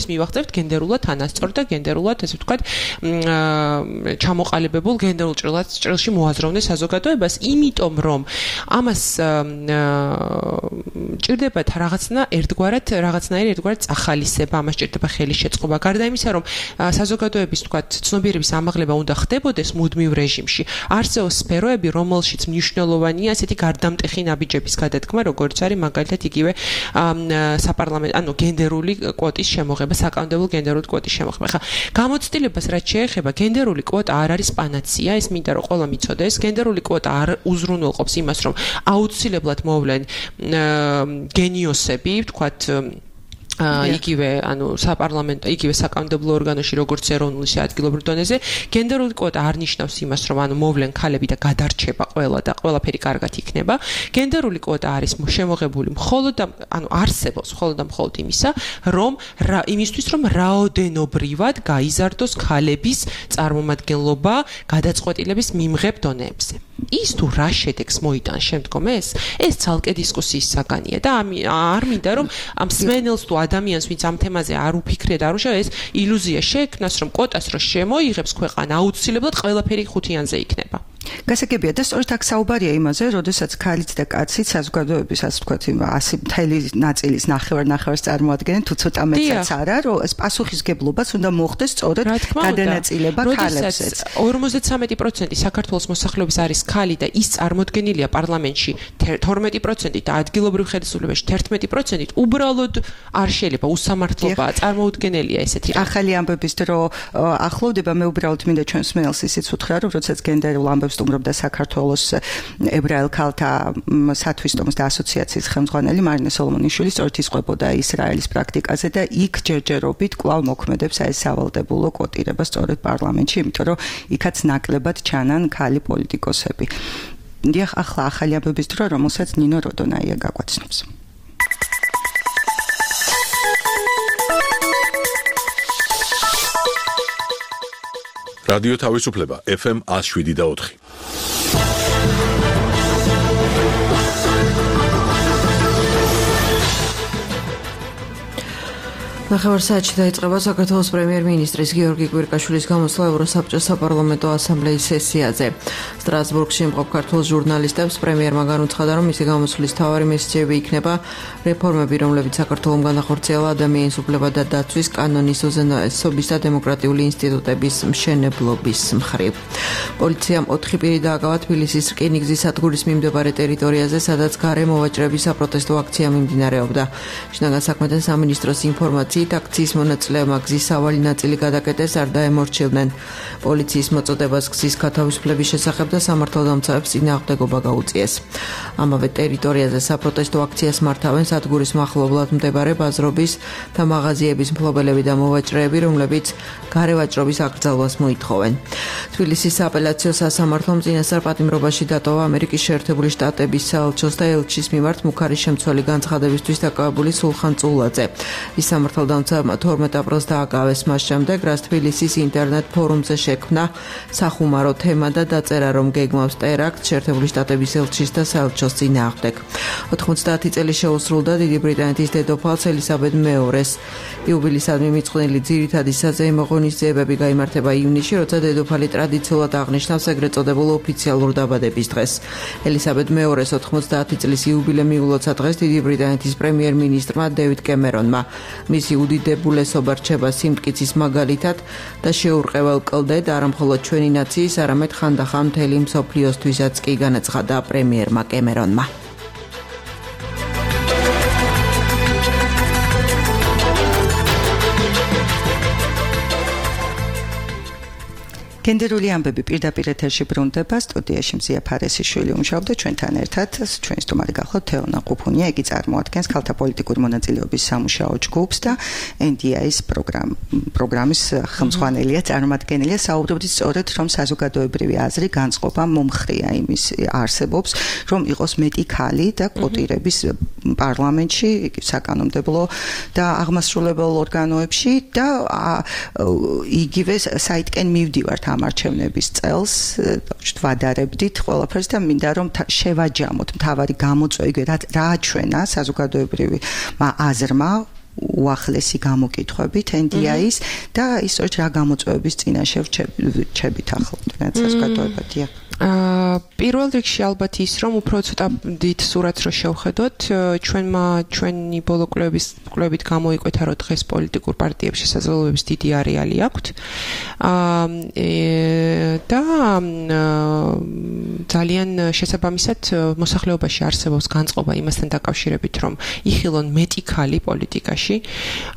როდის მივაღწევთ გენდერულად თანასწორ და გენდერულად, ესე ვთქვათ, ჩამოყალიბებულ გენდერულ ჭრილში მოაზროვნე საზოგადოებას, იმიტომ რომ ამას ჭირდებათ რაღაცნაირი ერთგვარად წახალისება, ამას ჭირდება ხელის შეწყობა. გარდა იმისა, რომ საზოგადოების, ვთქვათ, ცნობიერების ამაღლება უნდა ხდებოდეს მუდმივ რეჟიმში. არსებობს სფეროები, რომელშიც მნიშვნელოვანია ასეთი გარდამტეხი ნაბიჯების გადადგმა, როგორც არის მაგალითად იგივე საპარლამენტო, ანუ გენდერული კვოტის შემოღება, საკანონმდებლო გენდერული კვოტის შემოღება. ხა გამოცდილებას რაც შეეხება, გენდერული კვოტა არ არის პანაცია, ეს მინდა რომ ყველა მიცოდეს. გენდერული კვოტა არ უზრუნველყოფს იმას, რომ აუცილებლად მოვლენ გენიოსები, ვთქვათ, იგივე ანუ საპარლამენტო იგივე საკანონმდებლო ორგანოში როგორც ეროვნულ ისე ადგილობრივ დონეზე გენდერული კვოტა არ ნიშნავს იმას რომ ანუ მოვლენ ქალები და გადარჩება ყველა და ყველაფერი კარგად იქნება გენდერული კვოტა არის შემოღებული მხოლოდ ანუ არსებობს მხოლოდ და მხოლოდ იმისთვის რომ რაოდენობრივად გაიზარდოს ქალების წარმომადგენლობა გადაწყვეტილების მიმღებ დონეებზე ის თუ რა შედეგს მოიტანს შემდგომ ეს ცალკე დისკუსიის საგანია და არ მინდა რომ ამ სმენელს თუ ადამიანს ვინც ამ თემაზე არ უფიქრეთ არ უშავ ეს ილუზია შეექმნას რომ კვოტას რო შემოიღებს ქვეყანა აუცილებლად ყველაფერი ხუთიანზე იქნება გასაგებია და სწორედ აქ საუბარია იმაზე, როდესაც ქალიც და კაციც საზოგადოების ასე ვთქვათ, ასე მთელი ნაწილის ნახევარ-ნახევარს წარმოადგენენ, თუ ცოტა მეტსაც არა, რომ ეს პასუხისგებლობას უნდა მოხდეს სწორედ გადანაწილება ქალებსაც. 53% საქართველოს მოსახლეობის არის ქალი და ის წარმოდგენილია პარლამენტში 12% და ადგილობრივ ხელისუფლებაში 11%, უბრალოდ არ შეიძლება უსამართლობაა წარმოუდგენელია ესეთი. ახალი ამბების დრო ახლოვდება, მე უბრალოდ მინდა ჩვენს მსმენელს ისიც უთხრა, რომ როდესაც გენდერულ ამბებს სტუმრობდა საქართველოს ებრაელ ქალთა სათვისტომოს და ასოციაციის ხელმძღვანელი მარინე სოლომონიშვილი, სწორედ ისყვებოდა ისრაელის პრაქტიკაზე და იქ ჯერჯერობით კვლავ მოქმედებს ეს სავალდებულო კვოტირება სწორედ პარლამენტში, იმიტომ რომ იქაც ნაკლებად ჩანან ქალი პოლიტიკოსები. დიახ, ახლა ახალი ამბების დრო, რომელსაც ნინო როდონაია გაგვაცნობს. რადიო თავისუფლება FM 107.4. ნახევარ საათში დაიწყება საქართველოს პრემიერ-მინისტრის გიორგი კვირკაშვილის გამოსვლა ევროსაბჭოს საპარლამენტო ასამბლეის სესიაზე. სტრასბურგში იმყოფ ქართულ ჟურნალისტებს პრემიერმა განუცხადა, რომ მისი გამოსვლის მთავარი მესიჯები იქნება რეფორმები, რომლებიც საქართველოს განახორციელა ადამიანის უფლებათა და დაცვის კანონის უზენაესობის და დემოკრატიული ინსტიტუტების მშენებლობის მხრივ. პოლიციამ 4 პირი დააკავა თბილისის რკინიგზის სადგურის მიმდებარე ტერიტორიაზე, სადაც გარე მოვაჭრების საპროტესტო აქცია მიმდინარეობდა. შინაგან საქმეთა სამინისტროს ინფორმაციით აქციის მონაწილეებმა გზის სავალი ნაწილი გადაკეტეს, არ დაემორჩილდნენ. პოლიციის მოწოდებას გზის გათავისუფლების შესახებ და სამართალდამცავებს წინააღმდეგობა გაუწიეს. ამავე ტერიტორიაზე საპროტესტო აქციას მართავენ სადგურის მახლობლად მდებარე ბაზრობის და მაღაზიების მფლობელები და მოვაჭრეები, რომლებიც გარევაჭრობის აკრძალვას მოითხოვენ. თბილისის სააპელაციო სასამართლომ წინასწარ პატიმრობაში დატოვა ამერიკის შეერთებული შტატების საელჩოს და ელჩის მიმართ მუქარის შემცველი განცხადებისთვის დაკავებული სულხან წულაძე. ის სამართალდამცავებმა 12 აპრილს დააკავეს მას შემდეგ, რაც თბილისის ინტერნეტ ფორუმზე შექმნა სახუმარო თემა და დაწერა, რომ გეგმავს ტერაქტს შეერთებული შტატების ელჩის და საელჩოს წინააღმდეგ. 90 წელი შეუსრულდა დიდი ბრიტანეთის დედოფალს ელისაბედ მეორის იუბილისადმი მიწყვნილი ძირითადი საზეიმო ღონისძიებები გაიმართება ივნისში, როცა დედოფალი ტრადიციულად აღნიშნავს ეგრეთ წოდებულ ოფიციალურ დაბადების დღეს. ელისაბედ მეორის 90 წლის იუბილე მიულოცა დღეს დიდი ბრიტანეთის პრემიერ-მინისტრმა დევიდ კემერონმა. მისი უდიდებულესობა რჩება სიმტკიცის მაგალითად და შეურყეველ კლდედ არა მხოლოდ ჩვენი ნაციის, არამედ ხანდახან მთელი მსოფლიოსთვისაც კი, განაცხადა პრემიერმა კემერონმა. გენდერული ამბები პირდაპირ ეთერში ბრუნდება, სტუდიაში მზია ფარესიშვილი უმუშავდა ჩვენთან ერთად, ჩვენი სტუმარი გახლავთ თეონა ყუფუნია, იგი წარმოადგენს ქალთა პოლიტიკური მონაწილეობის სამუშაო ჯგუფს და NDI-ის პროგრამის ხელმძღვანელია, წარმომადგენელია. საუბრობთ სწორედ, რომ საზოგადოებრივი აზრი განწყობა მომხრია იმის არსებობს, რომ იყოს მეტი ქალი და კვოტირების პარლამენტში, საკანონმდებლო და აღმასრულებელ ორგანოებში და იგივე საიტკენ მივდივართ ამ არჩევნების წელს, ვადარებდით ყველაფერს და მინდა რომ შევაჯამოთ მთავარი გამოწვევი, რა აჩვენა საზოგადოებრივი აზრმა უახლესი გამოკითხვებით NDI-ის და ისოც რა გამოწვევების წინაშე რჩებით ახლა საზოგადოებადია. პირველ რიგში ალბათ ის, რომ უფრო ცოტა დიდ სურათს რო შევხედოთ, ჩვენი ბოლო კვლევებით გამოიკვეთა, რომ დღეს პოლიტიკურ პარტიებს შესაძლებლობების დიდი არეალი აქვთ. და ძალიან შესაბამისად მოსახლეობაში არსებობს განწყობა იმასთან დაკავშირებით, რომ იხილონ მეტი ქალი პოლიტიკაში.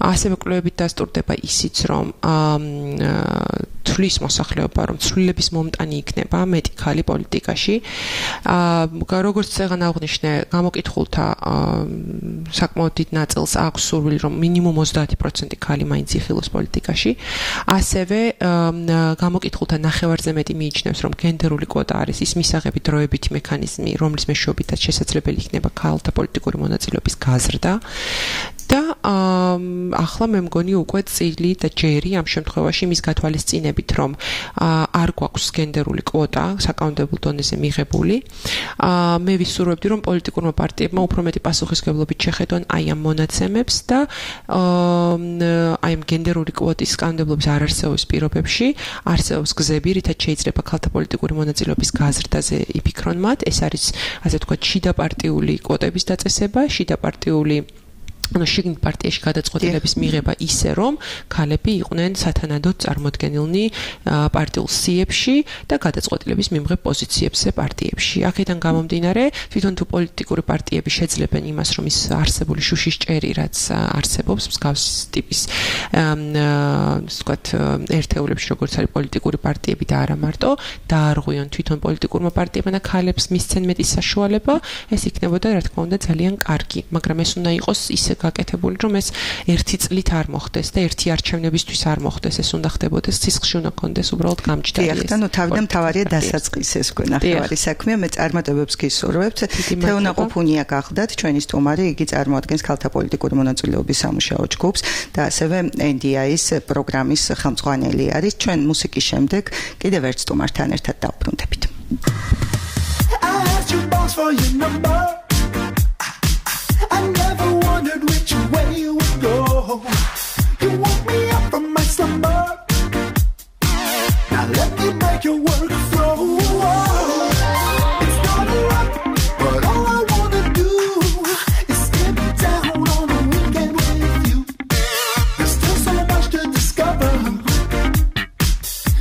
ასევე კვლევებით დასტურდება ისიც, რომ თვლის მოსახლეობა, რომ ცვლილების მომტანი იქნება მეტი ქალი პოლიტიკაში. როგორც წეგან აღნიშნე, გამოკითხულთა საკმაოდ დიდ ნაწილს აქვს სურვილი, რომ მინიმუმ 30% ქალი მაინც იხილოს პოლიტიკაში. ასევე გამოკითხულთა ნახევარზე მეტი მიიჩნევს, რომ გენდერული კვოტა არის ის მისაღები დროებითი მექანიზმი, რომლის მეშვეობითაც შესაძლებელი იქნება ქალთა პოლიტიკური მონაწილეობის გაზრდა. და ახლა მე მგონი უკვე წილი და ჯერი ამ შემთხვევაში მის გათვალისწინებით, რომ არ გვაქვს გენდერული კვოტა საკანონმდებლო დონეზე მიღებული. მე ვისურვებდი, რომ პოლიტიკურმა პარტიებმა უფრო მეტი პასუხისმგებლობით შეხედონ აი ამ მონაცემებს და აი ამ გენდერული კვოტის კანონმდებლობის არარსეობის პირობებში არსებობს გზები, რითაც შეიძლება ქალთა პოლიტიკური მონაწილეობის გაზრდაზე იფიქრონ მათ. ეს არის, ასე ვთქვათ, შიდაპარტიული კვოტების დაწესება, შიდაპარტიული შიგნით პარტიაში გადაწყვეტილების მიღება ისე, რომ ქალები იყვნენ სათანადოდ წარმოდგენილნი პარტიულ სიებში და გადაწყვეტილების მიმღებ პოზიციებზე პარტიებში. აქედან გამომდინარე, თვითონ თუ პოლიტიკური პარტიები შეძლებენ იმას, რომ ის არსებული შუშის ჭერი, რაც არსებობს მსგავს ტიპის ვთქვათ, ერთეულებში, როგორც არის პოლიტიკური პარტიები და არა მარტო, დაარღვიონ თვითონ პოლიტიკურმა პარტიებმა და ქალებს მისცენ მეტი საშუალება, ეს იქნებოდა, რა თქმა უნდა, ძალიან კარგი, მაგრამ ეს უნდა იყოს ისე გაკეთებული, რომ ეს ერთი წლით არ მოხდეს და ერთი არჩევნებისთვის არ მოხდეს, ეს უნდა ხდებოდეს სისხლში უნდა კონდეს უბრალოდ გამჭდარი. დიახ, და ნუ თავიდან თავარია დასაწყისი ეს გვენახევარი საქმეა, მე წარმატებებს გისურვებთ. თეონა ყუფუნია გახდათ ჩვენი სტუმარი, იგი წარმოადგენს ქალთა პოლიტიკური მონაწილეობის სამუშაო ჯგუფს და ასევე NDI-ის პროგრამის ხელმძღვანელი არის. ჩვენ მუსიკის შემდეგ კიდევ ერთ სტუმართან ერთად დავბრუნდებით. I never wondered which way you would go. You woke me up from my slumber. Now let me make your work flow. It's not a lot, but all I wanna do is skip down on a weekend with you. There's still so much to discover.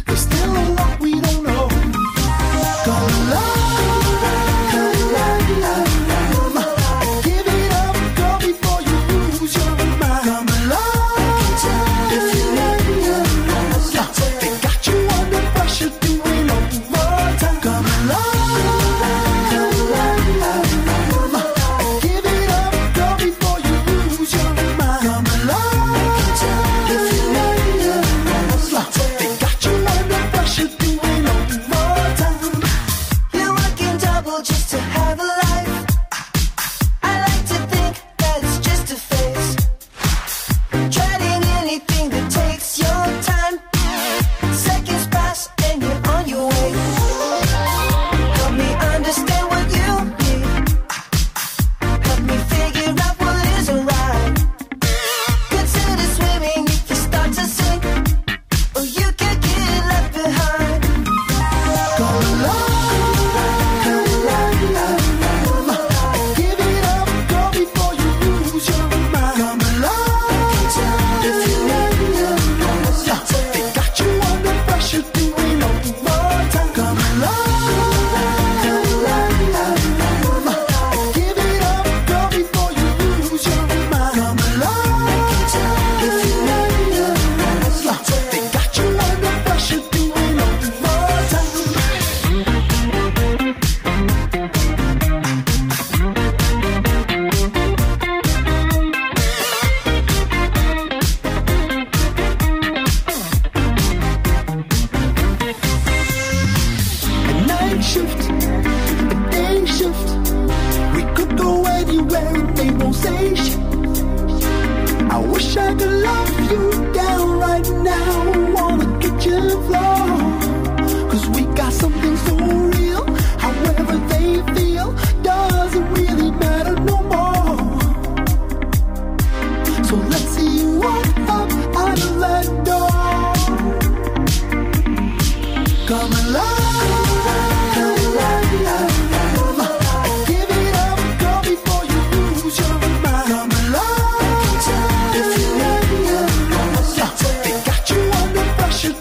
There's still a lot we don't know. Gonna love.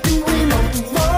Doing over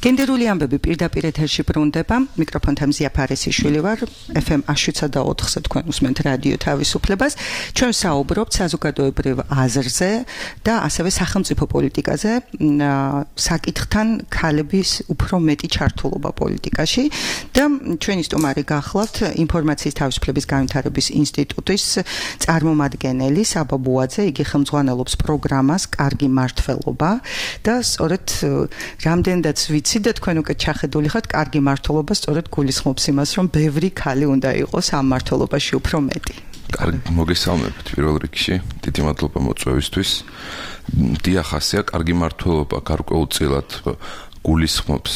გენდერული ამბები პირდაპირ ეთერში ბრუნდება. მიკროფონთან მზია ფარესიშვილი ვარ. FM 107.4-ზე თქვენ უსმენთ რადიო თავისუფლებას. ჩვენ საუბრობთ საზოგადოებრივ აზრზე და ასევე სახელმწიფო პოლიტიკაზე, საკითხთან ქალების უფრო მეტი ჩართულობა პოლიტიკაში და ჩვენი სტუმარი გახლავთ ინფორმაციის თავისუფლების განვითარების ინსტიტუტის წარმომადგენელი საბა ბუაძე. იგი ხელმძღვანელობს პროგრამას კარგი მართლობა და სწორედ რამდენადაც ვიცი და თქვენ უკვე ჩახედული ხართ, კარგი მართლობა სწორედ გულისხმობს იმას, რომ ბევრი ქალი უნდა იყოს ამ მართლობაში უფრო მეტი. კარგი, მოგესალმებით პირველ რიგში. დიდი მადლობა მოწვევისთვის. დიახ, ასეა, კარგი მართლობა გარკვეულწილად გულისხმობს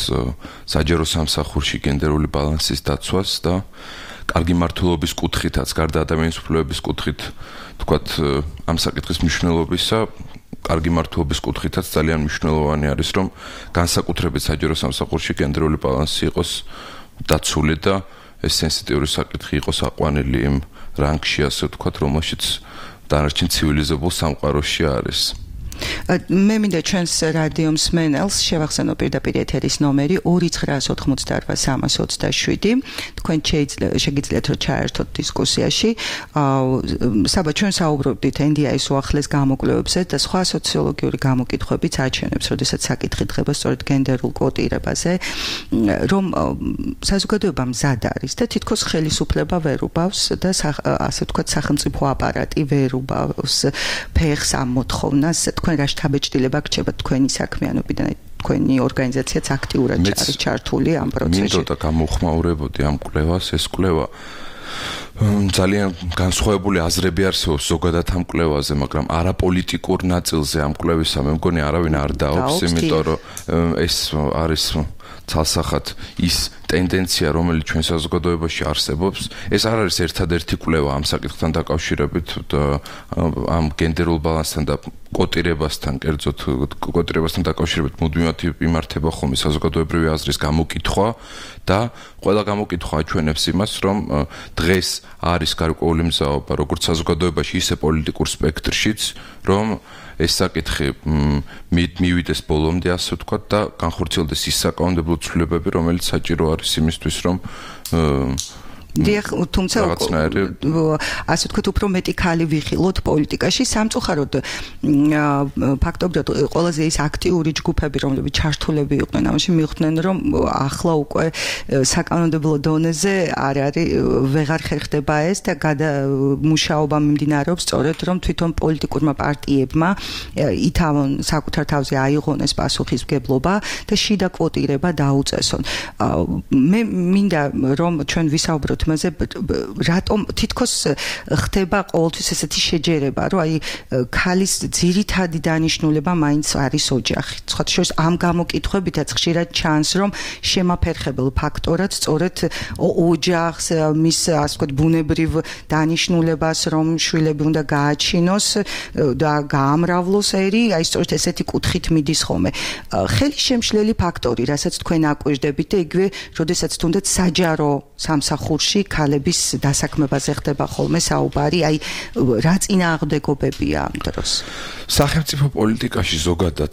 საჯარო სამსახურში გენდერული ბალანსის დაცვას და კარგი მართლობის კუთხითაც, გარდა ადამიანის უფლებების კუთხით, თქვათ, ამ საკითხის მნიშვნელობისა კარგი მართლობის კუთხითაც ძალიან მნიშვნელოვანი არის, რომ განსაკუთრებით საჯარო სამსახურში გენდერული ბალანსი იყოს დაცული და ეს სენსიტიური საკითხი იყოს აყვანილი იმ რანგში, ასე ვთქვათ, რომელშიც დანარჩენ ცივილიზებულ სამყაროში არის. მე მინდა ჩვენს რადიო მსმენელს შევახსენო პირდაპირ ეთერის ნომერი 2988327. თქვენ შეგიძლიათ რომ ჩაერთოთ დისკუსიაში. საბა ჩვენ საუბრობდით NDI-ის უახლეს გამოკვლევებზე და სხვა სოციოლოგიური გამოკითხვებიც აჩვენებს, როდესაც საკითხი დღება სწორედ გენდერულ კვოტირებაზე, რომ საზოგადოება მზად არის და თითქოს ხელისუფლება ვერ უბავს და ასე ვთქვათ სახელმწიფო აპარატი ვერ უბავს ფეხს ამ მოთხოვნას. თქვენ რა შთაბეჭდილება გრჩება თქვენი საქმიანობიდან, თქვენი ორგანიზაციაც აქტიურად არის ჩართული ამ პროცესში. მინდოდა გამოხმაურებოდი ამ კვლევას, ეს კვლევა ძალიან განსხვავებული აზრები არსებობს ზოგადად ამ კვლევაზე, მაგრამ არაპოლიტიკურ ნაწილზე ამ კვლევისა მე მგონი არავინ არ დაობს, იმიტომ რომ ეს არის ცალსახად ის ტენდენცია, რომელიც ჩვენ საზოგადოებაში არსებობს. ეს არ არის ერთადერთი კვლევა ამ საკითხთან დაკავშირებით და ამ გენდერულ ბალანსთან და კვოტირებასთან, კერძოდ კვოტირებასთან დაკავშირებით მუდმივად იმართება ხოლმე საზოგადოებრივი აზრის გამოკითხვა და ყველა გამოკითხვა აჩვენებს იმას, რომ დღეს არის გარკვეული მზაობა როგორც საზოგადოებაში, ისე პოლიტიკურ სპექტრშიც, რომ ეს საკითხი მივიდეს ბოლომდე, ასე ვთქვათ, და განხორციელდეს ის საკანონმდებლო ცვლილებები, რომელიც საჭირო არის იმისთვის, რომ დიახ, თუმცა ასე ვთქვათ, უფრო მეტი ქალი ვიხილოთ პოლიტიკაში. სამწუხაროდ ფაქტობრივად ყველაზე ის აქტიური ჯგუფები, რომლებიც ჩართულები იყვნენ ამაში, მიხვდნენ, რომ ახლა უკვე საკანონმდებლო დონეზე ვეღარ ხერხდება ეს და მუშაობა მიმდინარეობს სწორედ, რომ თვითონ პოლიტიკურმა პარტიებმა ითავონ საკუთარ თავზე აიღონეს პასუხისმგებლობა და შიდა კვოტირება დაუწესონ. მე მინდა რომ ჩვენ ვისაუბროთ მასე, რატომ თითქოს ხდება ყოველთვის ესეთი შეჯერება, რომ აი ქალის ძირითადი დანიშნულება მაინც არის ოჯახი. სხვათა შორის ამ გამოკითხვებითაც ხშირად ჩანს, რომ შემაფერხებელ ფაქტორად სწორედ ოჯახს, მის ასე ვთქვათ ბუნებრივ დანიშნულებას, რომ შვილები უნდა გააჩინოს და გაამრავლოს ერი, აი სწორედ ესეთი კუთხით მიდის ხოლმე. ხელისშემშლელი ფაქტორი, რასაც თქვენ აკვირდებით და იგივე, როდესაც თუნდაც საჯარო სამსახურში ქალების დასაქმებაზე ხდება ხოლმე საუბარი, აი რა წინააღმდეგობებია ამ დროს? სახელმწიფო პოლიტიკაში ზოგადად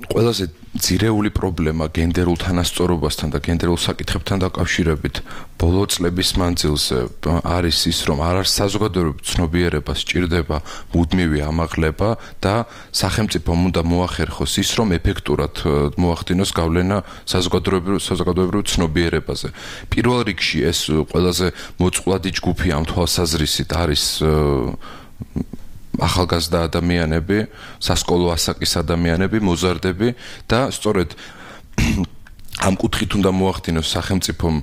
ყველაზე ძირეული პრობლემა გენდერულ თანასწორობასთან და გენდერულ საკითხებთან დაკავშირებით ბოლო წლების მანძილზე არის ის, რომ არ არის საზოგადოებრივ ცნობიერებას სჭირდება მუდმივი ამაღლება და სახელმწიფომ უნდა მოახერხოს ის, რომ ეფექტურად მოახდინოს გავლენა საზოგადოებრივ ცნობიერებაზე. პირველ რიგში ეს ყველაზე მოწყვლადი ჯგუფი ამ თვალსაზრისით არის ახალგაზრდა ადამიანები, სასკოლო ასაკის ადამიანები, მოზარდები და სწორედ ამ კუთხით უნდა მოახდინოს სახელმწიფომ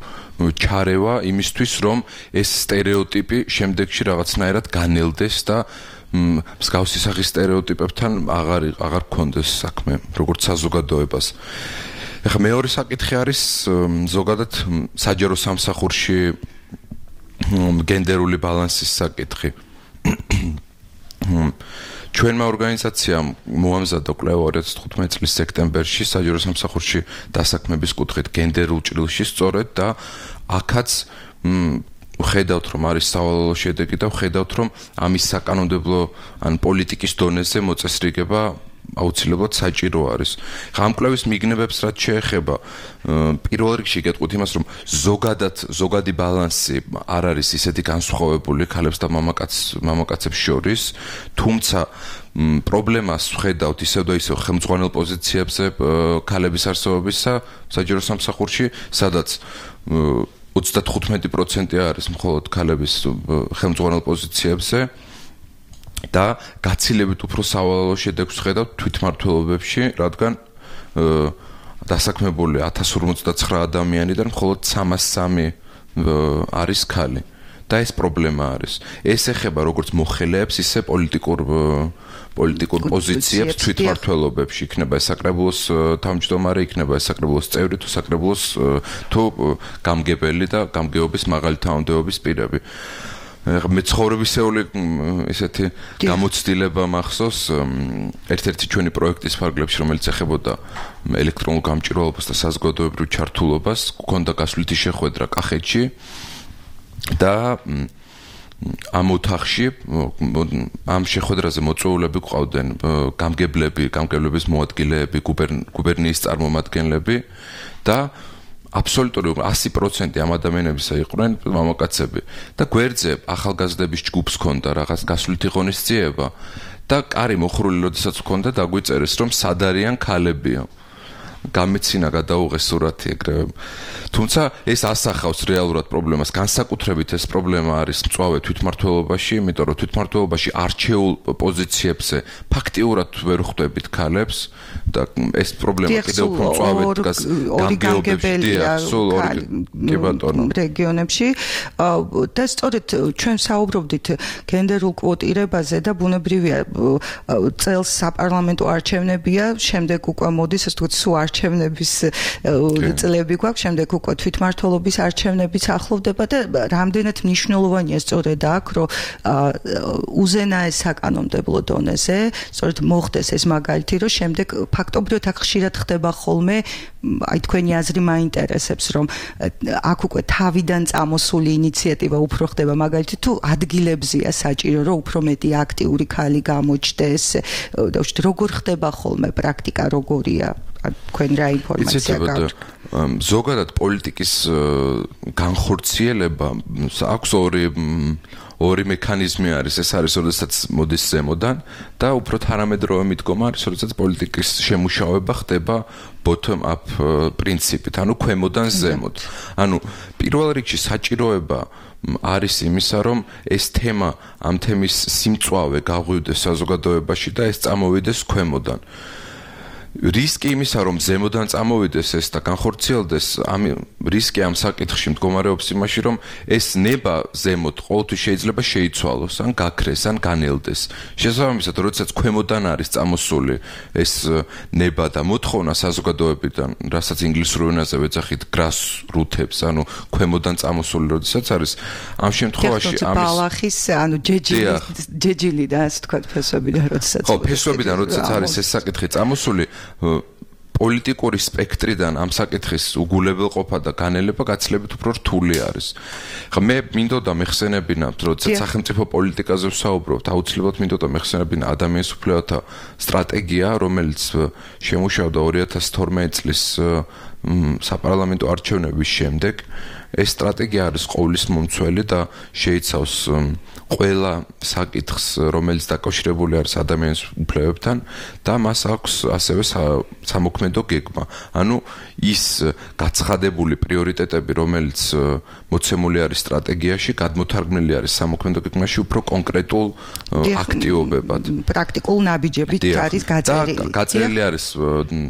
ჩარევა იმისთვის, რომ ეს სტერეოტიპი შემდეგში რაღაცნაირად განელდეს და მსგავსი სახის სტერეოტიპებთან აღარ გქონდეს საქმე, როგორც საზოგადოებას. ეხლა მეორე საკითხი არის ზოგადად საჯარო სამსახურში გენდერული ბალანსის საკითხი. ჩვენმა ორგანიზაციამ მოამზადა კვლევა 2015 წლის სექტემბერში საჯარო სამსახურში დასაქმების კუთხით გენდერულ ჭრილში სწორედ და აქაც ხედავთ, რომ არის სავალალო შედეგი და ხედავთ, რომ ამის საკანონმდებლო ან პოლიტიკის დონეზე მოწესრიგება აუცილებლად საჭირო არის. ხა ამ კვლევის მიგნებებს რაც შეეხება, პირველ რიგში გეტყვით იმას, რომ ზოგადი ბალანსი არ არის ისეთი განსხვავებული ქალებს და მამაკაცებს შორის, თუმცა პრობლემას ვხედავთ ისევ და ისევ ხელმძღვანელ პოზიციებზე ქალების არსებობისა საჯარო სამსახურში, სადაც 35% არის მხოლოდ ქალების ხელმძღვანელ პოზიციებზე და გაცილებით უფრო სავალალო შედეგს ვხედავთ თვითმმართველობებში, რადგან დასაქმებული 1059 ადამიანიდან მხოლოდ 303 არის ქალი. და ეს პრობლემა არის. ეს ეხება როგორც მოხელეებს, ისე პოლიტიკურ პოზიციებს თვითმმართველობებში, იქნება საკრებულოს თავმჯდომარე, იქნება საკრებულოს წევრი თუ საკრებულოს თუ გამგებელი და გამგეობის მაღალი თანამდებობის პირები. მე ცხოვრებისეული ესეთი გამოცდილება მახსოვს ერთ-ერთი ჩვენი პროექტის ფარგლებში, რომელიც ეხებოდა ელექტრონულ გამჭირვალობას და საზოგადოებრივ ჩართულობას, გქონდა გასვლითი შეხვედრა კახეთში და ამ ოთახში ამ შეხვედრაზე მოწვეულები ყავდნენ გამგებლების მოადგილეები, გუბერნიის წარმომადგენლები და აბსოლუტური 100% ამ ადამიანებისა იყვნენ მამაკაცები და გვერდზე ახალგაზრდების ჯგუფს ჰქონდა რაღაც გასვლითი ღონისძიება და კარი მოხრული როდესაც ჰქონდა დაგვიწერეს რომ სად არიან ქალებია გამეცინა გადაუღეს სურათი ეგრევე. თუმცა ეს ასახავს რეალურად პრობლემას. განსაკუთრებით ეს პრობლემა არის მწვავე თვითმმართველობაში, იმიტომ რომ თვითმმართველობაში არჩეულ პოზიციებზე ფაქტიურად ვერ ხვდებით ქალებს და ეს პრობლემა კიდევ უფრო მწვავედ განგეობებში რეგიონებში და სწორედ ჩვენ საუბრობდით გენდერულ კვოტირებაზე და ბუნებრივია წელს საპარლამენტო არჩევნებია, შემდეგ უკვე მოდის ასე ვთქვათ სულ არჩევნების წლები გვაქვს, შემდეგ უკვე თვითმმართველობის არჩევნებიც ახლოვდება და რამდენად მნიშვნელოვანია სწორედ აქ, რომ უზენაეს საკანონმდებლო დონეზე სწორედ მოხდეს ეს მაგალითი, რომ შემდეგ ფაქტობრივად აქ ხშირად ხდება ხოლმე, აი თქვენი აზრი მაინტერესებს, რომ აქ უკვე თავიდან წამოსული ინიციატივა უფრო ხდება, მაგალითი თუ ადგილებზია საჭირო, რომ უფრო მეტი აქტიური ქალი გამოჩნდეს, როგორ ხდება ხოლმე პრაქტიკა, როგორია? თქვენ რა ინფორმაცია გაქვთ? ზოგადად პოლიტიკის განხორციელება აქვს ორი მექანიზმი არის. ეს არის, როდესაც მოდის ზემოდან და უფრო თანამედროვე მიდგომა არის, როდესაც პოლიტიკის შემუშავება ხდება bottom up პრინციპით, ანუ ქვემოდან ზემოთ. ანუ პირველ რიგში საჭიროება არის იმისა, რომ ეს თემა, ამ თემის სიმწვავე გაღვივდეს საზოგადოებაში და ეს წამოვიდეს ქვემოდან. რისკი იმისა, რომ ზემოდან წამოვიდეს ეს და განხორციელდეს, ამ რისკი ამ საკითხში მდგომარეობს იმაში, რომ ეს ნება ზემოთ ყოველთვის შეიძლება შეიცვალოს, ან გაქრეს, ან განელდეს. შესაბამისად, როდესაც ქვემოდან არის წამოსული ეს ნება და მოთხოვნა საზოგადოებიდან, რასაც ინგლისურ ენაზე ვეძახით grassroots, ანუ ქვემოდან წამოსული, როდესაც არის, ამ შემთხვევაში ბალახის, ანუ ჯეჯილი და ასე თქვა ფესვებიდან, როდესაც ხო, ფესვებიდან, როდესაც არის ეს საკითხი წამოსული, პოლიტიკური სპექტრიდან ამ საკითხის უგულებელყოფა და განელება გაცილებით უფრო რთული არის. ხა მე მინდოდა მეხსენებინა, როდესაც სახელმწიფო პოლიტიკაზე ვსაუბრობთ, აუცილებლად მინდოდა მეხსენებინა ადამიანის უფლებათა სტრატეგია, რომელიც შემუშავდა 2012 წლის საპარლამენტო არჩევნების შემდეგ. ეს სტრატეგია არის ყოვლის მომცველი და შეიცავს ყველა საკითხს, რომელიც დაკავშირებული არის ადამიანის უფლებებთან და მას აქვს ასევე სამოქმედო გეგმა. ანუ ის გაცხადებული პრიორიტეტები, რომელიც მოცემული არის სტრატეგიაში, გადმოთარგმნილი არის სამოქმედო გეგმაში უფრო კონკრეტულ აქტივობებად. პრაქტიკულ ნაბიჯებით არის გაწერილი. გაწერილი არის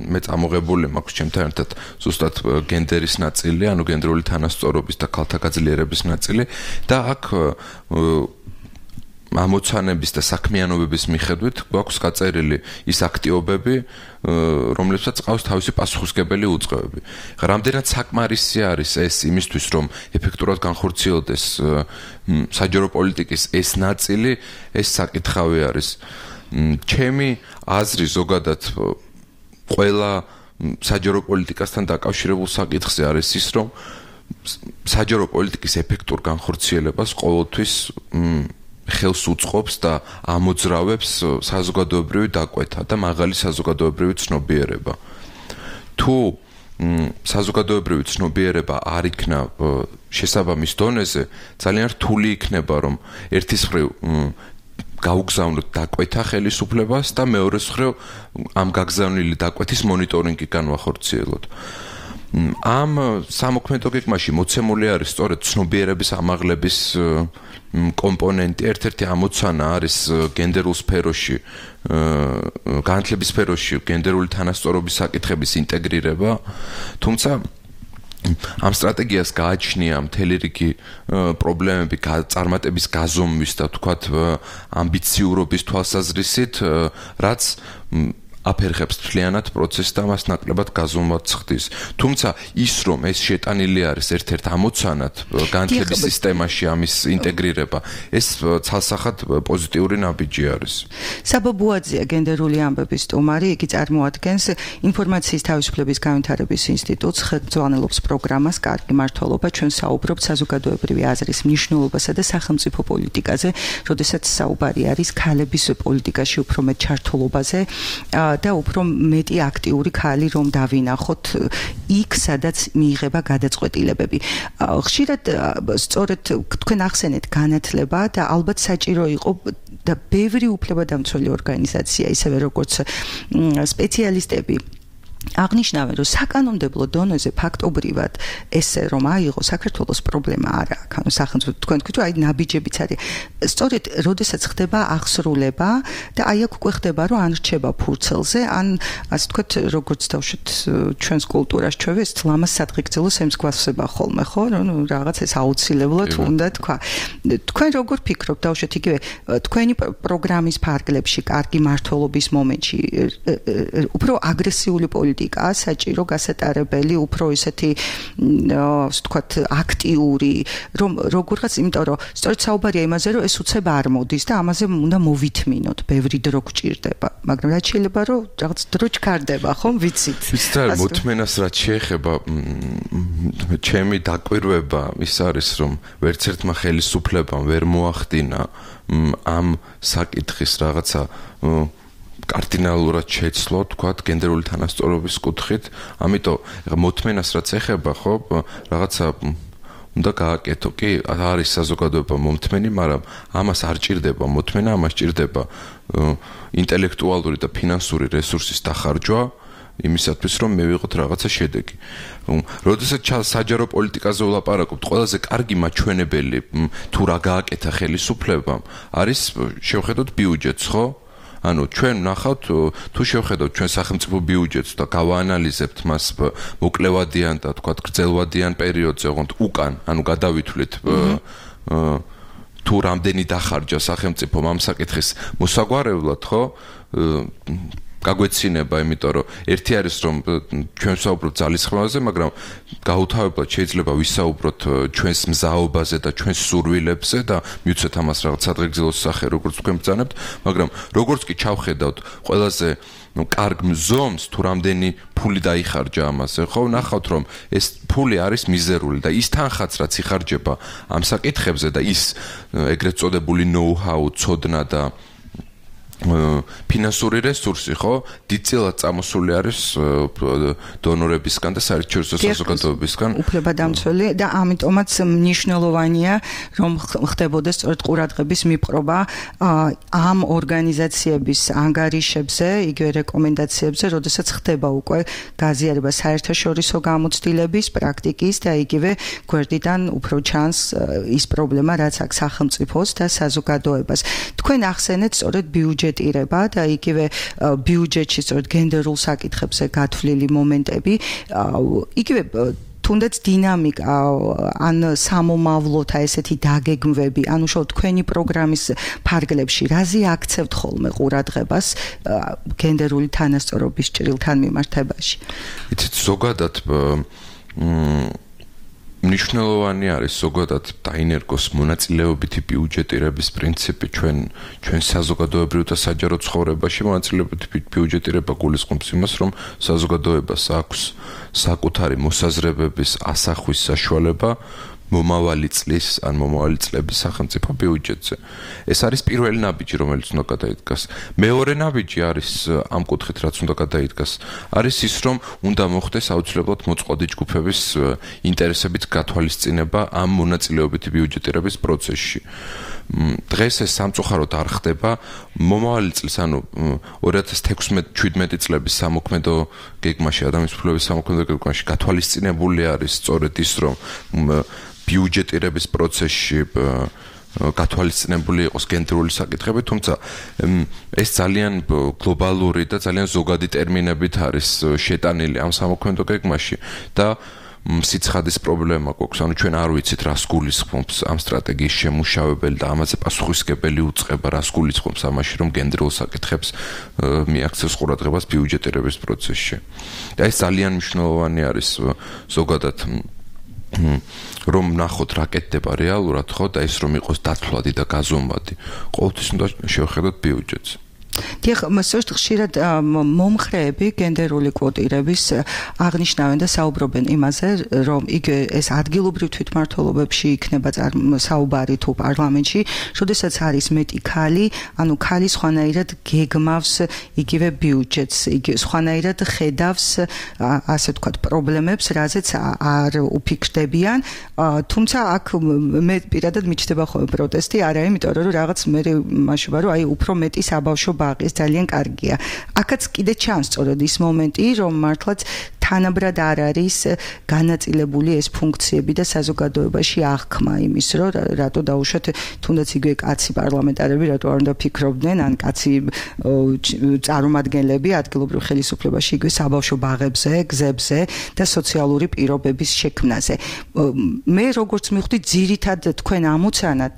მე წამოღებული მაქვს ჩემთან ერთად ზუსტად გენდერის ნაწილი, ანუ გენდერული თანასწორობის და ქალთა გაძლიერების ნაწილი და აქ ამოცანების და საქმიანობების მიხედვით გვაქვს გაწერილი ის აქტივობები, რომლებსაც ყავს თავისი პასუხისმგებელი უწყებები. რამდენად საკმარისი არის ეს იმისთვის, რომ ეფექტურად განხორციელდეს საჯარო პოლიტიკის ეს ნაწილი, ეს საკითხავი არის. ჩემი აზრი ზოგადად ყველა საჯარო პოლიტიკასთან დაკავშირებულ საკითხზე არის ის, რომ საჯარო პოლიტიკის ეფექტურ განხორციელებას ყოველთვის ხელს უწყობს და ამოძრავებს საზოგადოებრივი დაკვეთა და მაღალი საზოგადოებრივი ცნობიერება. თუ საზოგადოებრივი ცნობიერება არ იქნა შესაბამის დონეზე, ძალიან რთული იქნება, რომ ერთის მხრივ გაუგზავნოთ დაკვეთა ხელისუფლებას და მეორეს მხრივ ამ გაგზავნილი დაკვეთის მონიტორინგი განვახორციელოთ. ამ სამოქმედო გეგმაში მოცემული არის სწორედ ცნობიერების ამაღლების კომპონენტი. ერთ-ერთი ამოცანა არის გენდერულ სფეროში, განათლების სფეროში გენდერული თანასწორობის საკითხების ინტეგრირება, თუმცა ამ სტრატეგიას გააჩნია მთელი რიგი პრობლემები წარმატების გაზომვის და თქვათ ამბიციურობის თვალსაზრისით, რაც აფერხებს მთლიანად პროცესს და მას ნაკლებად გაზომვად ხდის. თუმცა ის რომ ეს შეტანილი არის ერთ-ერთ ამოცანად განათლების სისტემაში ამის ინტეგრირება, ეს ცალსახად პოზიტიური ნაბიჯი არის. საბა ბუაძია გენდერული ამბების სტუმარი, იგი წარმოადგენს ინფორმაციის თავისუფლების განვითარების ინსტიტუტს, ხელმძღვანელობს პროგრამას კარგი მმართველობა, ჩვენ საუბრობთ საზოგადოებრივი აზრის მნიშვნელობასა და სახელმწიფო პოლიტიკაზე, როდესაც საუბარი არის ქალების პოლიტიკაში უფრო მეტ ჩართულობაზე და უფრო მეტი აქტიური ქალი რომ დავინახოთ იქ, სადაც მიიღება გადაწყვეტილებები. ხშირად სწორედ თქვენ ახსენეთ განათლება და ალბათ საჭირო იყო და ბევრი უფლებადამცველი ორგანიზაცია, ისევე როგორც სპეციალისტები აღნიშნავენ, რომ საკანონმდებლო დონეზე ფაქტობრივად ესე რომ აიღო საქართველოს პრობლემა არ აქვს. ანუ სახელმწიფო თქვენ თქვით, რომ აი ნაბიჯებიც არის. სწორედ როდესაც ხდება აღსრულება და აი აქ უკვე ხდება, რომ ან რჩება ფურცელზე, ან ასე თქვით, როგორც დავშვით ჩვენს კულტურას ჩვევი ეს ლამას სადღეგრძელოს ემსგავსება ხოლმე, ხო? ნუ რაღაც ეს აუცილებლად უნდა თქვა. თქვენ როგორ ფიქრობთ, დავშვით იგივე თქვენი პროგრამის ფარგლებში, კარგი მმართველობის მომენტში უფრო აგრესიული პოლიტიკა საჭირო გასატარებელი, უფრო ისეთი ვთქვათ აქტიური, რომ როგორღაც, იმიტომ რომ სწორედ საუბარია იმაზე, რომ ეს უცებ არ მოდის და ამაზე უნდა მოვითმინოთ, ბევრი დრო გჭირდება, მაგრამ რაც შეიძლება რომ რაღაც დრო ჩქარდება, ხომ ვიცით? ვიცით, მოთმენას რაც შეეხება, ჩემი დაკვირვება ის არის, რომ ვერც ერთმა ხელისუფლებამ ვერ მოახდინა ამ საკითხის რაღაცა კარდინალურად შეცვლო, თქვათ, გენდერული თანასწორობის კუთხით. ამიტომ მოთმენას რაც ეხება, ხო, რაღაცა უნდა გააკეთო. კი, არის საზოგადოება მომთმენი, მაგრამ ამას არ ჭირდება მოთმენა, ამას ჭირდება ინტელექტუალური და ფინანსური რესურსის დახარჯვა იმისათვის, რომ მივიღოთ რაღაცა შედეგი. როდესაც საჯარო პოლიტიკაზე ვლაპარაკობთ, ყველაზე კარგი მაჩვენებელი თუ რა გააკეთა ხელისუფლებამ, არის შევხედოთ ბიუჯეტს, ხო? ანუ ჩვენ ნახავთ, თუ შევხედოთ ჩვენ სახელმწიფო ბიუჯეტს და გავაანალიზებთ მას მოკლევადიან და თქვათ გრძელვადიან პერიოდზე, ოღონდ უკან, ანუ გადავითვლით თუ რამდენი დახარჯა სახელმწიფომ ამ საკითხის მოსაგვარებლად, ხო? გაგვეცინება, იმიტომ რომ ერთი არის რომ ჩვენ ვსაუბრობთ ძალისხმევაზე, მაგრამ გაუთავებლად შეიძლება ვისაუბროთ ჩვენს მზაობაზე და ჩვენს სურვილებზე და მივცეთ ამას რაღაც სადღეგრძელოს სახე, როგორც თქვენ ბრძანებთ, მაგრამ როგორც კი ჩავხედავთ ყველაზე კარგ მზომს თუ რამდენი ფული დაიხარჯა ამაზე, ხო, ნახავთ რომ ეს ფული არის მიზერული და ის თანხაც რაც იხარჯება ამ საკითხებზე და ის ეგრეთ წოდებული know-how, ცოდნა და ფინანსური რესურსი, ხო, დიდწილად წამოსული არის დონორებისგან და საერთაშორისო საზოგადოებისგან. უფლებადამცველი და ამიტომაც მნიშვნელოვანია, რომ ხდებოდეს სწორედ ყურადღების მიპყრობა ამ ორგანიზაციების ანგარიშებზე, იგივე რეკომენდაციებზე, როდესაც ხდება უკვე გაზიარება საერთაშორისო გამოცდილების, პრაქტიკის და იგივე გვერდიდან უფრო ჩანს ის პრობლემა, რაც აქვს სახელმწიფოს და საზოგადოებას. თქვენ ახსენეთ სწორედ ბიუჯეტირება და იგივე ბიუჯეტში სწორედ გენდერულ საკითხებზე გათვლილი მომენტები, იგივე თუნდაც დინამიკა ან სამომავლოთა ესეთი დაგეგმვები, ანუ შო თქვენი პროგრამის ფარგლებში რაზე აქცევთ ხოლმე ყურადღებას გენდერული თანასწორობის ჭრილთან მიმართებაში? იცით, ზოგადად მნიშვნელოვანი არის ზოგადად დაინერგოს მონაწილეობითი ბიუჯეტირების პრინციპი ჩვენ საზოგადოებრივ და საჯარო ცხოვრებაში. მონაწილეობითი ბიუჯეტირება გულისხმობს იმას, რომ საზოგადოებას აქვს საკუთარი მოსაზრებების ასახვის საშუალება მომავალი წლის ან მომავალი წლების სახელმწიფო ბიუჯეტზე. ეს არის პირველი ნაბიჯი, რომელიც უნდა გადაიდგას. მეორე ნაბიჯი არის ამ კუთხით, რაც უნდა გადაიდგას, არის ის, რომ უნდა მოხდეს აუცილებლად მოწყვლადი ჯგუფების ინტერესებით გათვალისწინება ამ მონაწილეობითი ბიუჯეტირების პროცესში. დღეს ეს სამწუხაროდ არ ხდება. მომავალი წლის, ანუ 2016-17 წლების სამოქმედო გეგმაში, ადამიანის უფლებების სამოქმედო გეგმაში გათვალისწინებული არის სწორედ ის, რომ ბიუჯეტირების პროცესში გათვალისწინებული იყოს გენდერული საკითხები, თუმცა ეს ძალიან გლობალური და ძალიან ზოგადი ტერმინებით არის შეტანილი ამ სამოქმედო გეგმაში და სიცხადის პრობლემა გვაქვს, ანუ ჩვენ არ ვიცით რას გულისხმობს ამ სტრატეგიის შემუშავებელი და ამაზე პასუხისმგებელი უწყება რას გულისხმობს ამაში, რომ გენდერულ საკითხებს მიაქცევს ყურადღებას ბიუჯეტირების პროცესში. და ეს ძალიან მნიშვნელოვანი არის ზოგადად რომ ნახოთ რა კეთდება რეალურად, ხო, და ის რომ იყოს დათვლადი და გაზომვადი. ყოველთვის უნდა შევხედოთ ბიუჯეტს. დიახ, მასწორედ ხშირად მომხრეები გენდერული კვოტირების აღნიშნავენ და საუბრობენ იმაზე, რომ ეს ადგილობრივ თვითმმართველობებში იქნება საუბარი თუ პარლამენტში, როდესაც არის მეტი ქალი, ანუ ქალი სხვანაირად გეგმავს იგივე ბიუჯეტს, სხვანაირად ხედავს ასე ვთქვათ პრობლემებს, რაზეც არ უფიქრდებიან, თუმცა აქ მე პირადად მიჩნდება ხოლმე პროტესტი, არა იმიტომ რომ რაღაც მე მაშობა რომ აი უფრო მეტი საბავშვო ბაღი ძალიან კარგია. აქაც კიდე ჩანს სწორედ ის მომენტი, რომ მართლაც თანაბრად არ არის განაწილებული ეს ფუნქციები და საზოგადოებაში აღქმა იმის, რომ რატო დაუშვათ თუნდაც იგივე კაცი პარლამენტარები, რატო არ უნდა ფიქრობდნენ, ან კაცი წარმომადგენლები ადგილობრივ ხელისუფლებაში იგივე საბავშვო ბაღებზე, გზებზე და სოციალური პირობების შექმნაზე. მე როგორც მივხვდი, ძირითად თქვენ ამოცანად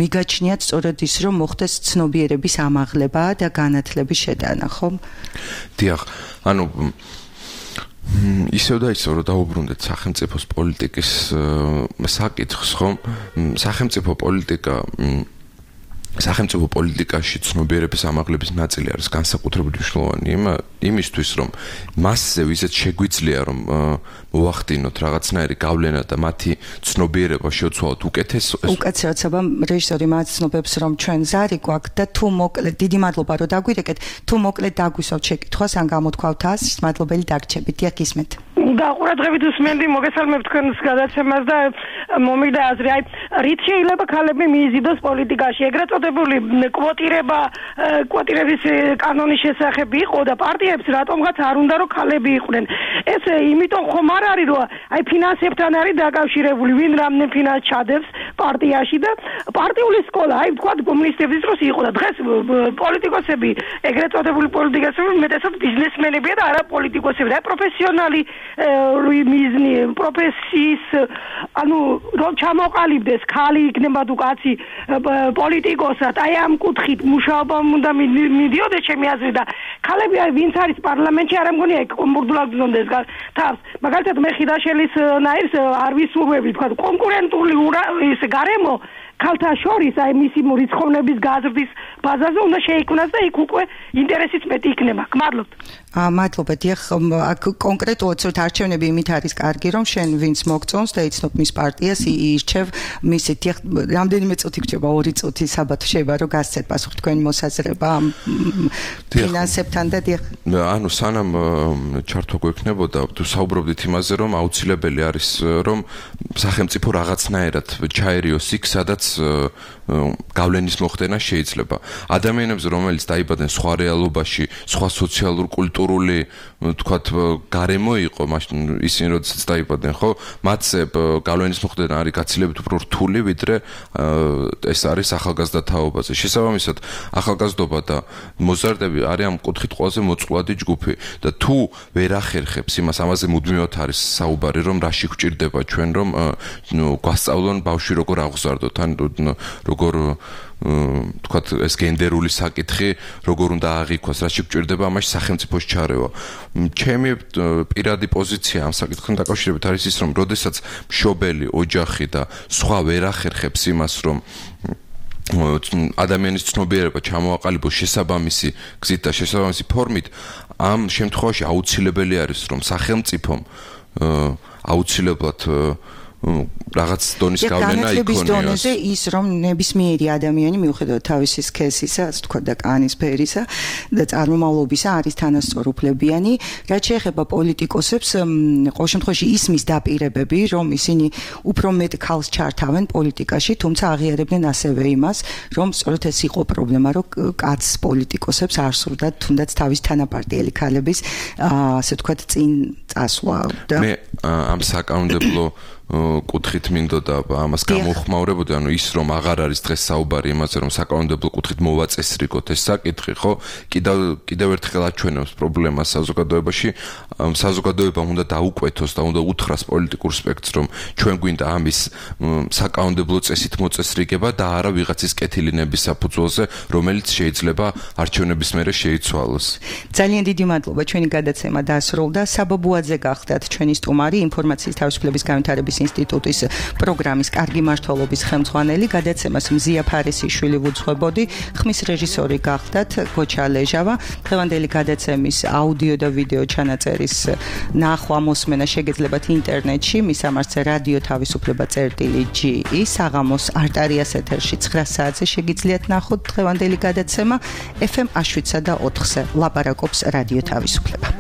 მიგაჩნიათ სწორედ ის, რომ მოხდეს ცნობიერების ამაღლება და განათლების შეტანა, ხო? დიახ, ანუ ისევ და ისევ რომ დაუბრუნდეთ სახელმწიფოს პოლიტიკის საკითხს, ხო? სახელმწიფო პოლიტიკაში ცნობიერების ამაღლების ნაწილი არის განსაკუთრებით მნიშვნელოვანი იმისთვის, რომ მასზე ვიზეთ შეგვიძლია რომ მოახდინოთ რაღაცნაირი გავლენა და მათი ცნობიერება შევცვალოთ უკეთესობა რეჟისორი მათ ცნობებს, რომ ჩვენ ზარი გვაქვს და თუ მოკლედ დიდი მადლობა რომ დაგვირეკეთ, თუ მოკლედ დაგვისვათ შეკითხვას ან გამოთქვავთ ას, მადლობელი დაგრჩებით. დიახ, ისმენთ. და ყურადღებით უსმენდი, მოგესალმებთ თქვენს გადაცემას და მომიგდა აზრი, აი რით შეიძლება ქალები მიიზიდოს პოლიტიკაში, ეგრეთ წოდებული კვოტირების კანონის შესახებ იყო და პარტიებს რატომღაც არ უნდა რომ ქალები იყვნენ. ეს იმიტომ ხომ არ არის რომ აი ფინანსებთან არის დაკავშირებული, ვინ რამდენ ფინანსს ჩადებს პარტიაში და პარტიული სკოლა, აი ვთქვათ კომუნისტების დროს იყო და დღეს პოლიტიკოსები, ეგრეთ წოდებული პოლიტიკოსები მეტესად ბიზნესმენებია და არა პოლიტიკოსები, და პროფესიონალი მიზნი პროფესიის, ანუ რომ ჩამოყალიბდეს ქალი იქნება თუ კაცი პოლიტიკოსად, აი ამ კუთხით მუშაობა უნდა მიდიოდეს ჩემი აზრით და ქალები აი ვინც არის პარლამენტში არ მგონია ეგ კომპორტულად გზონდეს თავს. მაგალითად მე ხიდაშელის ნაირს არ ვისურვები, თქვა კონკურენტული ის გარემო ქალთა შორის აი მისი რიცხოვნების გაზრდის ბაზაზე უნდა შეიქმნას და იქ უკვე ინტერესიც მეტი იქნება. გმადლობთ. მადლობა. დიახ, აქ კონკრეტულად ცოტ არჩევნები იმით არის კარგი, რომ შენ ვინც მოგწონს და იცნობ მის პარტიას, ირჩევ მისი. დიახ, რამდენიმე წუთი გრჩება, 2 წუთი საბათო შეიძლება რომ გასცეთ პასუხი თქვენი მოსაზრება ამ ფინანსებთან და დიახ. ანუ სანამ ჩართვა გვექნებოდა, თუ საუბრობდით იმაზე, რომ აუცილებელი არის, რომ სახელმწიფო რაღაცნაირად ჩაერიოს იქ, სადაც გავლენის მოხდენა შეიძლება. ადამიანებს, რომელიც დაიბადნენ სხვა რეალობაში, სხვა სოციალურ კულტურული, თქვათ, გარემო იყო, მაშინ ისინი როდესაც დაიბადნენ, ხო, მათზე გავლენის მოხდენა არის გაცილებით უფრო რთული, ვიდრე ეს არის ახალგაზრდა თაობაზე. შესაბამისად, ახალგაზრდობა და მოზარდები არის ამ კუთხით ყველაზე მოწყვლადი ჯგუფი და თუ ვერ ახერხებს იმას, ამაზე მუდმივად არის საუბარი, რომ რაში გვჭირდება ჩვენ, რომ გვასწავლონ ბავშვი როგორ აღზარდოთ, ან როგორ თქვათ ეს გენდერული საკითხი როგორ უნდა აღიქვას, რაში გვჭირდება ამაში სახელმწიფოს ჩარევა. ჩემი პირადი პოზიცია ამ საკითხთან დაკავშირებით არის ის, რომ როდესაც მშობელი, ოჯახი და სხვა ვერ ახერხებს იმას, რომ ადამიანის ცნობიერება ჩამოაყალიბოს შესაბამისი გზით და შესაბამისი ფორმით, ამ შემთხვევაში აუცილებელი არის, რომ სახელმწიფომ აუცილებლად რაღაც დონის გავლენა იქონიოს. დონეზე ის რომ ნებისმიერი ადამიანი მიუხედავად თავისი სქესისა, ასე თქვა და კანის ფერისა და წარმომავლობისა არის თანასწორუფლებიანი. რაც შეეხება პოლიტიკოსებს, ყოველ შემთხვევაში ისმის დაპირებები, რომ ისინი უფრო მეტ ქალს ჩართავენ პოლიტიკაში, თუმცა აღიარებდნენ ასევე იმას, რომ სწორედ ეს იყო პრობლემა, რომ კაც პოლიტიკოსებს არ სურდათ თუნდაც თავის თანაპარტიელი ქალების ასე თქვა წინ წასვლა და მე ამ საკანონმდებლო კუთხით მინდოდა ამას გამოხმაურებოდი, ანუ ის რომ აღარ არის დღეს საუბარი იმაზე, რომ საკანონმდებლო კუთხით მოვაწესრიგოთ ეს საკითხი, ხო? კიდევ ერთხელ აჩვენებს პრობლემას საზოგადოებაში. საზოგადოებამ უნდა დაუკვეთოს და უნდა უთხრას პოლიტიკურ სპექტრს, რომ ჩვენ გვინდა ამის საკანონმდებლო წესით მოწესრიგება და არა ვიღაცის კეთილინების საფუძველზე, რომელიც შეიძლება არჩევნების მერე შეიცვალოს. ძალიან დიდი მადლობა, ჩვენი გადაცემა დასრულდა. საბაბუაძე გახდათ ჩვენი სტუმარი, ინფორმაციის თავისუფლების განვითარების ინსტიტუტის პროგრამის კარგი მმართველობის ხელმძღვანელი. გადაცემას მზია ფარისიშვილი ვუძღვებოდი, ხმის რეჟისორი გახდათ გოჩა ლეჟავა. დღევანდელი გადაცემის აუდიო და ვიდეო ჩანაწერის ნახვა მოსმენა შეგეძლებათ ინტერნეტში, მისამართზე რადიო თავისუფლება წერტილი.ge, საღამოს არტარიას ეთერში 9 საათზე შეგიძლიათ ნახოთ დღევანდელი გადაცემა FM 7 და 4-ზე. ლაპარაკობს რადიო თავისუფლება.